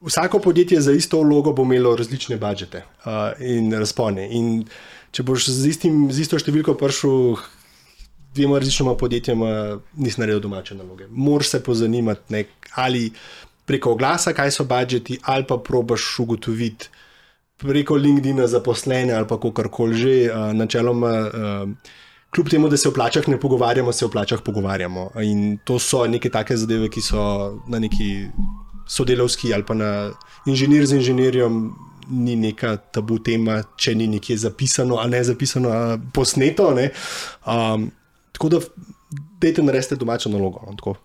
Vsako podjetje za isto vlogo bo imelo različne budžete in razpone. In če boš z isto številko prišel dvema različnima podjetjama, nisi naredil domače naloge. Moraš se pozanimati ali preko oglasa, kaj so budžeti, ali pa probaš ugotoviti preko LinkedIna zaposlene ali pa kakorkoli že. Načeloma, kljub temu, da se o plačah ne pogovarjamo, se o plačah pogovarjamo. In to so neke take zadeve, ki so na neki sodelavski ali pa na inženir z inženirjem ni neka tabu tema, če ni nekje zapisano ali ne zapisano, posneto. Tako da dajte narediti domačo nalogo.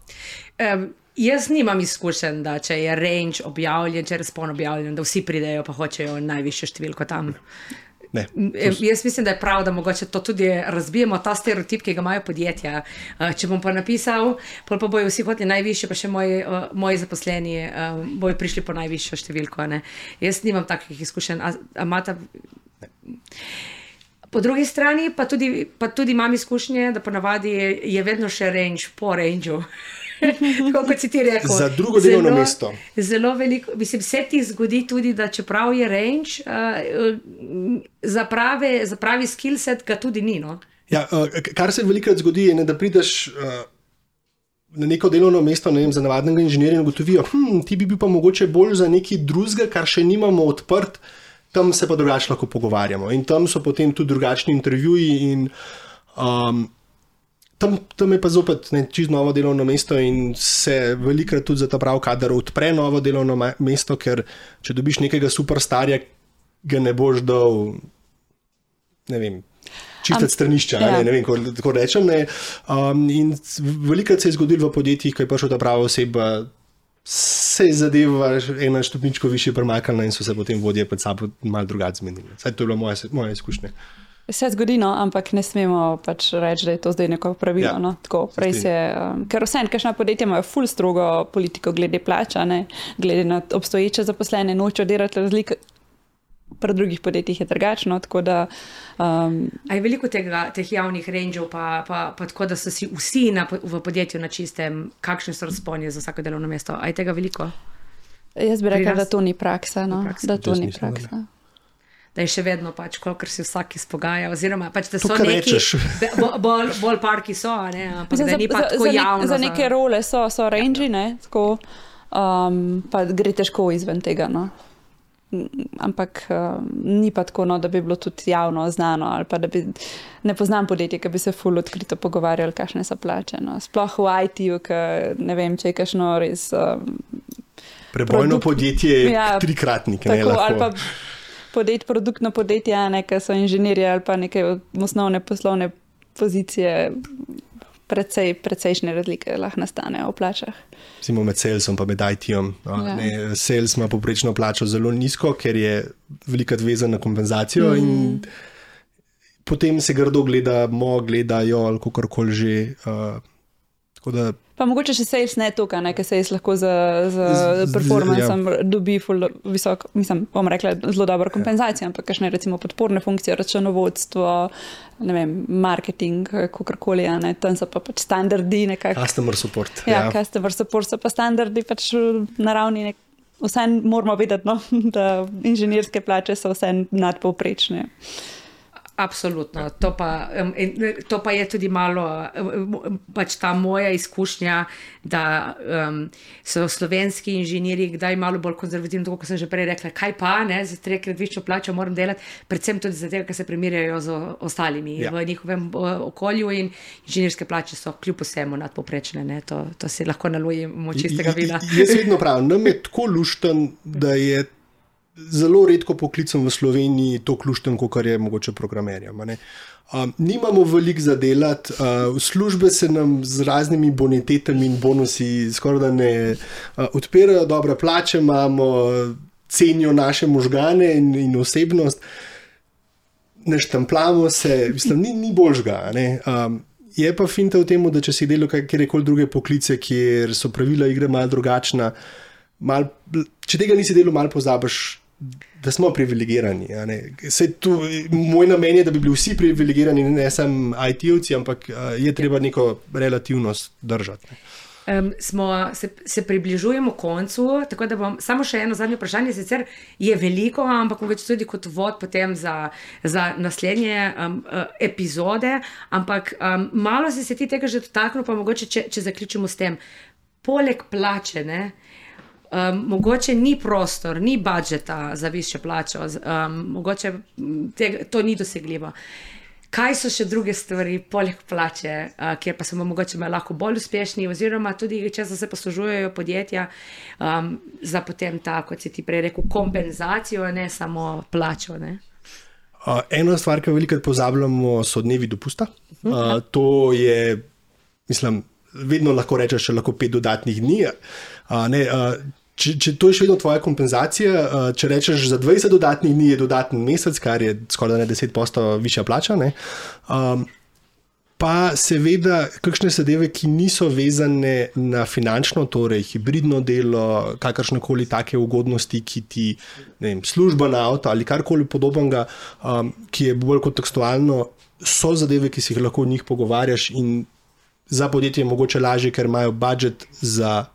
Jaz nimam izkušenj, da če je range objavljen, če je razpon objavljen, da vsi pridejo pa hočejo najvišjo številko tam. Ne. Jaz mislim, da je prav, da mogoče to tudi razbijemo, ta stereotip, ki ga imajo podjetja. Če bom pa napisal, pa bojo vsi hoteli najvišje, pa še moji zaposleni bojo prišli po najvišjo številko. Jaz nimam takih izkušenj. Po drugi strani pa tudi imam izkušnje, da ponavadi je vedno še range po rangeu. Tako kot si ti rekel. Za drugo delovno mesto. Zelo veliko, mislim, se ti zgodi tudi, da čeprav je range, za pravi skillset ga tudi ni. No? Ja, kar se velikokrat zgodi, je, da prideš na neko delovno mesto, ne vem, za navadnega inženirja in ugotovijo, ti bi bil pa mogoče bolj za nekaj drugega, kar še nimamo odprt, tam se pa drugače lahko pogovarjamo. In tam so potem tudi drugačni intervjuji in tam je pa zopet čisto novo delovno mesto in se velikokrat tudi za ta prav kader odpre novo delovno mesto, ker če dobiš nekega superstarja, ga ne boš dal, ne vem, čistiti stranišča, ne vem, kako rečem. In velikokrat se je zgodilo v podjetjih, ko je prišla ta prava oseba, se je zadeva ena stopničko višje premaknila in so se potem vodje pred sabo malo drugače zmenili. Saj to je bilo moje izkušnje. Se zgodi, no, ampak ne smemo pač reči, da je to zdaj neko pravilo. Ja, no? Tako, ker vseeno, kakšna podjetja imajo ful strogo politiko glede plača, glede na obstoječe zaposlene, nočejo delati razlike, pri drugih podjetjih je drugačno. Je veliko teh javnih rangeov, pa tako, da so si vsi v podjetju na čistem, kakšne so razponi za vsako delovno mesto. A je tega veliko? Jaz bi rekla, da to ni praksa. No? Da to ni praksa. Da je še vedno pač, kolikor si vsak izpogaja, oziroma pač, da so neki bolj parki so, ampak da ni pa tako javno. Za neke role so range, tako, pa gre težko izven tega, no. Ampak ni pa tako, no, da bi bilo tudi javno znano, ali pa da bi, ne poznam podjetje, ki bi se ful odkrito pogovarjali, kakšne so plače, no. Sploh v IT-ju, ne vem, če je kakšno res prebojno podjetje trikratnik, ne lahko. Ali pa produktno podjetje, ki so inženirji ali pa neke osnovne poslovne pozicije, precejšnje razlike lahko nastanejo v plačah. Recimo med salesom pa med IT-om. Sales ima povprečno plačo zelo nizko, ker je velikokrat vezan na kompenzacijo in potem se grdo gledajo ali kakorkoli že. Pa mogoče še sales ne toka, ker sales lahko z performancem dobi visok, bom rekla, zelo dobro kompenzacijo, ampak kakšne recimo podporne funkcije, računovodstvo, ne vem, marketing, kakorkoli, tam so pa pač standardi nekako. Customer support. Customer support so pa standardi pač na ravni vse moramo vedeti, no, da inženirske plače so vse nadpovprečne. Absolutno. To pa je tudi malo pač ta moja izkušnja, da so slovenski inženirji kdaj malo bolj konzervativni, tako kot sem že prej rekla, kaj pa, za 3-krat višjo plačo moram delati, predvsem tudi zato, ker se primerjajo z ostalimi v njihovem okolju in inženirske plače so kljub vsemu nadpovprečne. To si lahko nalujemo čistega vina. Jaz vedno pravim, nam je tako lušten, da je zelo redko poklicam v Sloveniji to kluštem, kot je mogoče programerjem. Nimamo veliko za delati, službe se nam z raznimi bonitetami in bonusi skoraj da ne odpirajo, dobre plače imamo, cenijo naše možgane in osebnost, ne štempljamo se, mislim, ni boljšega. Je pa finta v tem, da če si delal kjerkoli druge poklice, kjer so pravila igre malo drugačna, če tega nisi delal, malo pozabiš, da smo privilegirani. Moj namen je, da bi bili vsi privilegirani, ne samo IT-ovci, ampak je treba neko relativnost držati. Se približujemo koncu, tako da bom samo še eno zadnje vprašanje, sicer je veliko, ampak mogoče tudi kot vod potem za naslednje epizode, ampak malo si se ti tega že dotaknil, pa mogoče, če zaključimo s tem. Poleg plače, mogoče ni prostor, ni budžeta za višjo plačo, mogoče to ni dosegljivo. Kaj so še druge stvari, poleg plače, kjer pa smo mogoče lahko bolj uspešni, oziroma tudi, če se poslužujejo podjetja za potem ta, kot si ti prej rekel, kompenzacijo, ne samo plačo? Ena stvar, ki jo velikokrat pozabljamo, so dnevi dopusta. To je, mislim, vedno lahko rečeš, še lahko 5 dodatnih dni. Če to je še vedno tvoja kompenzacija, če rečeš za 20 dodatnih dni je dodaten mesec, kar je skoraj 10% višja plača, pa seveda kakšne zadeve, ki niso vezane na finančno, torej hibridno delo, kakršnekoli take ugodnosti, ki ti, ne vem, služba na avto ali karkoli podobnega, ki je bolj kontekstualno, so zadeve, ki si jih lahko o njih pogovarjaš in za podjetje je mogoče lažje, ker imajo budžet za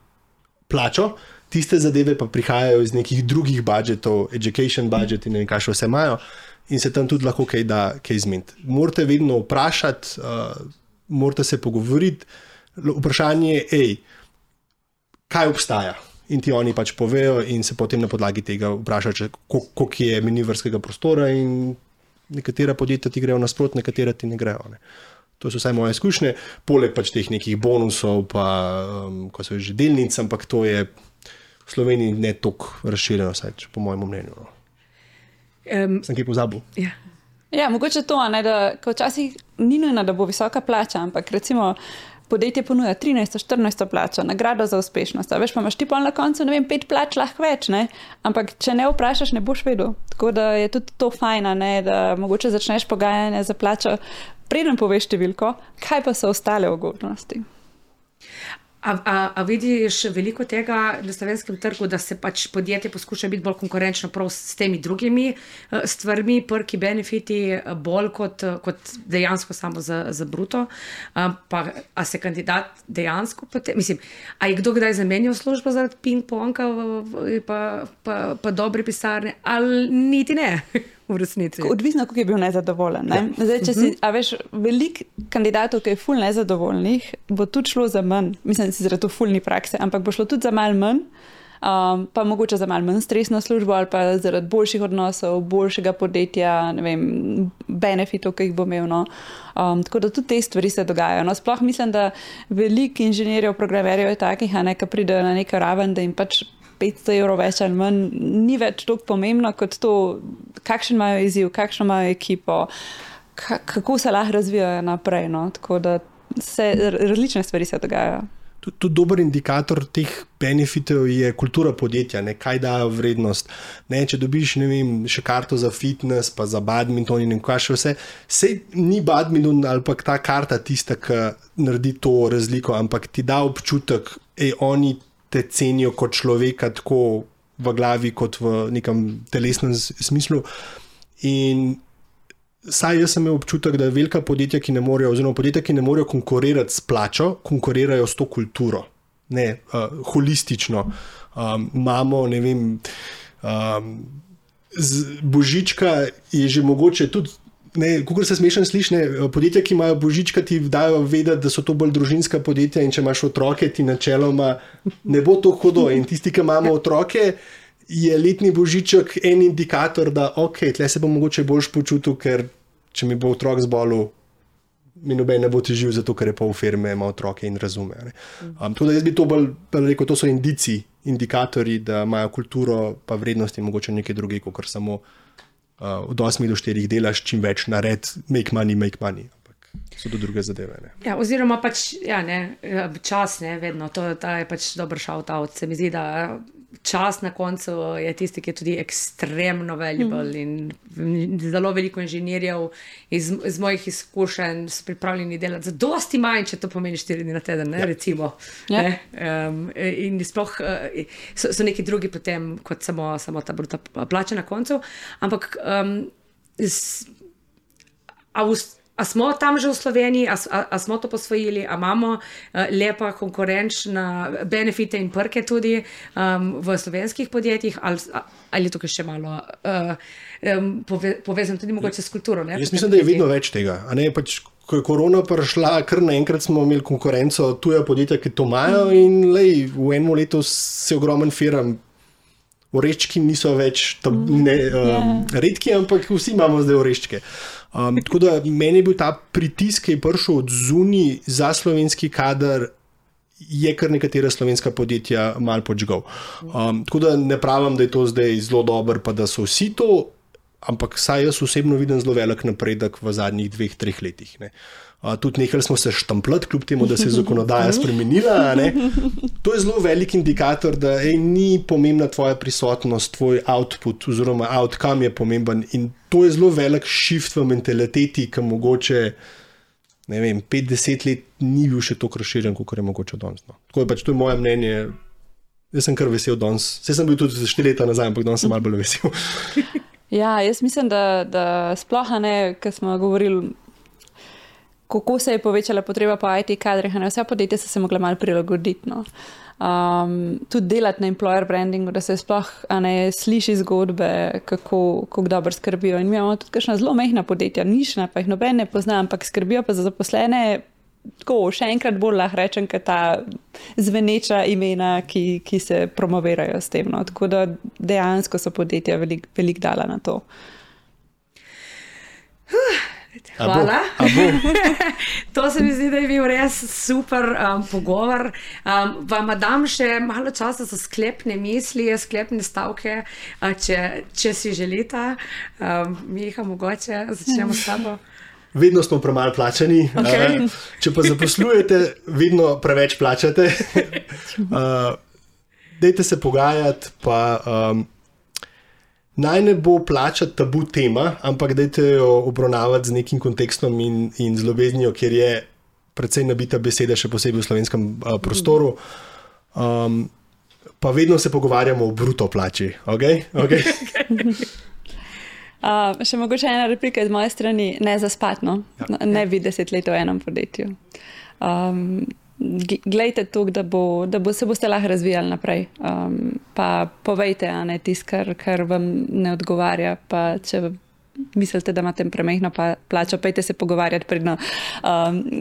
plačo. Tiste zadeve pa prihajajo iz nekih drugih budžetov, education budget in ne vem, kaj še vse imajo, in se tam tudi lahko kaj zmeniti. Morate vedno vprašati, morate se pogovoriti. Vprašanje je, kaj obstaja? In ti oni pač povejo in se potem na podlagi tega vprašajo, koliko je manevrskega prostora, in nekatera podjetja ti grejo nasprot, nekatera ti ne grejo. To so vsaj moje izkušnje, poleg pač teh nekih bonusov, pa ko so že delnic, ampak to je v Sloveniji ne toliko razširjeno, vsaj po mojem mnenju. Sem kaj pozabil? Ja, mogoče to, da včasih ni nujno, da bo visoka plača, ampak recimo podjetje ponuja 13-14 plačo, nagrado za uspešnost. Veš, pa imaš ti pol na koncu, ne vem, 5 plač lahko več, ampak če ne vprašaš, ne boš vedel. Tako da je tudi to fajna, da mogoče začneš pogajanje za plačo, preden poveš številko, kaj pa so ostale ugodnosti. A vidiš veliko tega na slovenskem trgu, da se pač podjetje poskuša biti bolj konkurenčno prav s temi drugimi stvarmi, perki, benefiti, bolj kot dejansko samo za bruto? A se kandidat dejansko potem, mislim, a je kdo kdaj zamenjal službo za ping-ponga pa dobre pisarne, ali niti ne? Odvisno, kako je bil nezadovoljen. Zdaj, če si, veš, veliko kandidatov, ki je ful nezadovoljnih, bo tudi šlo za manj, mislim, da si zaradi ful ni prakse, ampak bo šlo tudi za malo manj, pa mogoče za malo manj stresno službo ali pa zaradi boljših odnosov, boljšega podjetja, ne vem, benefitov, ki jih bo imel. Tako da tudi te stvari se dogajajo. Sploh mislim, da veliko inženirjev, programerjev je takih, ki pridejo na neko raven, da jim pač 500 evrov več ali manj, ni več toliko pomembno kot to, kakšen imajo izziv, kakšno imajo ekipo, kako se lahko razvijajo naprej. Tako da različne stvari se dogajajo. Tudi dober indikator teh benefitov je kultura podjetja, kaj dajo vrednost. Če dobiš, ne vem, še karto za fitness, pa za badminton in kaj še vse, sej ni badminton ali pa ta karta tista, ki naredi to razliko, ampak ti da občutek, oni te cenijo kot človeka, tako v glavi, kot v nekem telesnem smislu. In saj jaz sem imel občutek, da velika podjetja, ki ne morejo, oziroma podjetja, ki ne morejo konkurirati s plačo, konkurirajo s to kulturo. Holistično. Imamo, ne vem, božička je že mogoče tudi, kako se smešno sliši, podjetja, ki imajo božička, ti dajo vedeti, da so to bolj družinska podjetja, in če imaš otroke, ti načeloma ne bo to hudo. In tisti, ki imamo otroke, je letni božiček en indikator, da tle se bom mogoče boljš počutil, ker če mi bo otrok zbolel, mi noben ne bo težil, zato ker je pol firme, ima otroke in razume. Tako da jaz bi to bolj rekel, to so indikatorji, da imajo kulturo pa vrednosti mogoče nekaj druge, kot samo od 8 do 4 delaš, čim več nared, make money, ampak so to druge zadeve. Ja, oziroma pač, čas, vedno, to je pač dober shout-out. Se mi zdi, da čas na koncu je tisti, ki je tudi ekstremno valuable in zelo veliko inženirjev iz mojih izkušenj so pripravljeni delati za dosti manj, če to pomeni 4 dni na teden, ne, recimo. Ne? In sploh so neki drugi potem kot samo ta bruta plača na koncu, ampak a smo tam že v Sloveniji, a smo to posvojili, a imamo lepa konkurenčna benefite in prke tudi v slovenskih podjetjih, ali je tukaj še malo povezano tudi mogoče s kulturo? Ne? Jaz mislim, da je vedno več tega. A ne, pač, ko je korona prišla, kar naenkrat smo imeli konkurenco tuja podjetja, ki to imajo in v enem letu se ogromen firm. Oreščki niso več redki, ampak vsi imamo zdaj oreščke. Tako da meni je bil ta pritisk, ki je prišel od zunaj za slovenski kader, je kar nekatera slovenska podjetja malo podžgal. Tako da ne pravim, da je to zdaj zelo dobro, pa da so vsi to, ampak saj jaz osebno vidim zelo velik napredek v zadnjih 2-3 letih. Ne. Tudi nehali smo se štampljati, kljub temu, da se je zakonodaja spremenila. Ne. To je zelo velik indikator, da ni pomembna tvoja prisotnost, tvoj output oziroma outcome je pomemben in to je zelo velik shift v mentaliteti, ki mogoče 5-10 let ni bil še toliko razširjen, kot je mogoče danes. No. Tako je pač, to je moje mnenje. Jaz sem kar vesel danes. Saj sem bil tudi 4 leta nazaj, ampak danes sem malo bolj vesel. Ja, jaz mislim, da sploh ne, ker smo govorili, kako se je povečala potreba po IT kadrih, vse podjetja so se mogla malo prilagoditi. No. Tudi delati na employer brandingu, da se sploh sliši zgodbe, kako dobro skrbijo. In mi imamo tudi kakšna zelo majhna podjetja, nišna, pa jih noben ne pozna, ampak skrbijo pa za zaposlene. Tako, še enkrat bolj lahko rečem, ker ta zveneča imena, ki se promovirajo s tem. No. Tako da dejansko so podjetja veliko dala na to. Hvala. To se mi zdi, da je bil res super pogovor. Vam dam še malo časa za sklepne misli, sklepne stavke, če si želite. Miha, mogoče začnemo s tabo. Vedno smo premalo plačani. Okay. Če pa zaposlujete, vedno preveč plačate. Dajte se pogajati, pa naj ne bo plača tabu tema, ampak dajte jo obravnavati z nekim kontekstom in z ljubeznijo, kjer je precej nabita beseda, še posebej v slovenskem prostoru. Pa vedno se pogovarjamo o bruto plači. Okay? Še mogoče ena replika iz moje strani, ne zaspatno, ne bi 10 let v enem podjetju. Glejte to, da se boste lahko razvijali naprej. Pa povejte, tisto, kar vam ne odgovarja, pa če mislite, da imate premehno plačo, pejte se pogovarjati predno.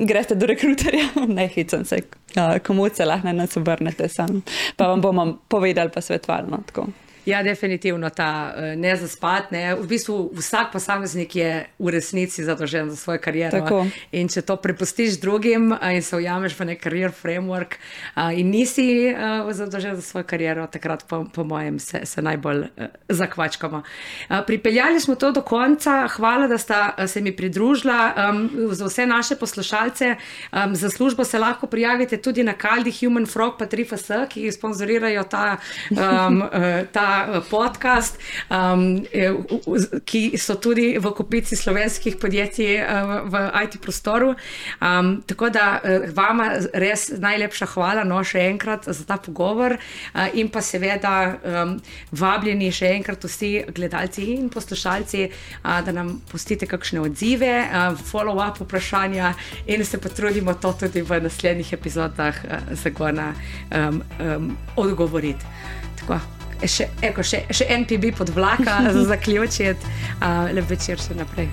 Greste do rekruterja, ne hecam se, komu se lahko nas obrnete sam. Pa vam bomo povedali pa svetovali. No, tako. Ja, definitivno ta ne zaspat. Ne. V bistvu vsak posameznik je v resnici zadolžen za svojo kariero. Tako. In če to prepustiš drugim in se ujameš v nek career framework in nisi zadolžen za svojo kariero, takrat po mojem se najbolj zakvačkamo. Pripeljali smo to do konca. Hvala, da sta se mi pridružila. Za vse naše poslušalce za službo se lahko prijavite tudi na Kaldi, Human Frog pa 3FS, ki sponzorirajo ta podcast, ki so tudi v kopici slovenskih podjetij v IT prostoru. Tako da vama res najlepša hvala, še enkrat za ta pogovor in pa seveda vabljeni še enkrat vsi gledalci in poslušalci, da nam pustite kakšne odzive, follow-up vprašanja in se potrudimo to tudi v naslednjih epizodah zagona odgovoriti. Tako. Še NPB pod vlaka za zaključiti. Lep večer še naprej.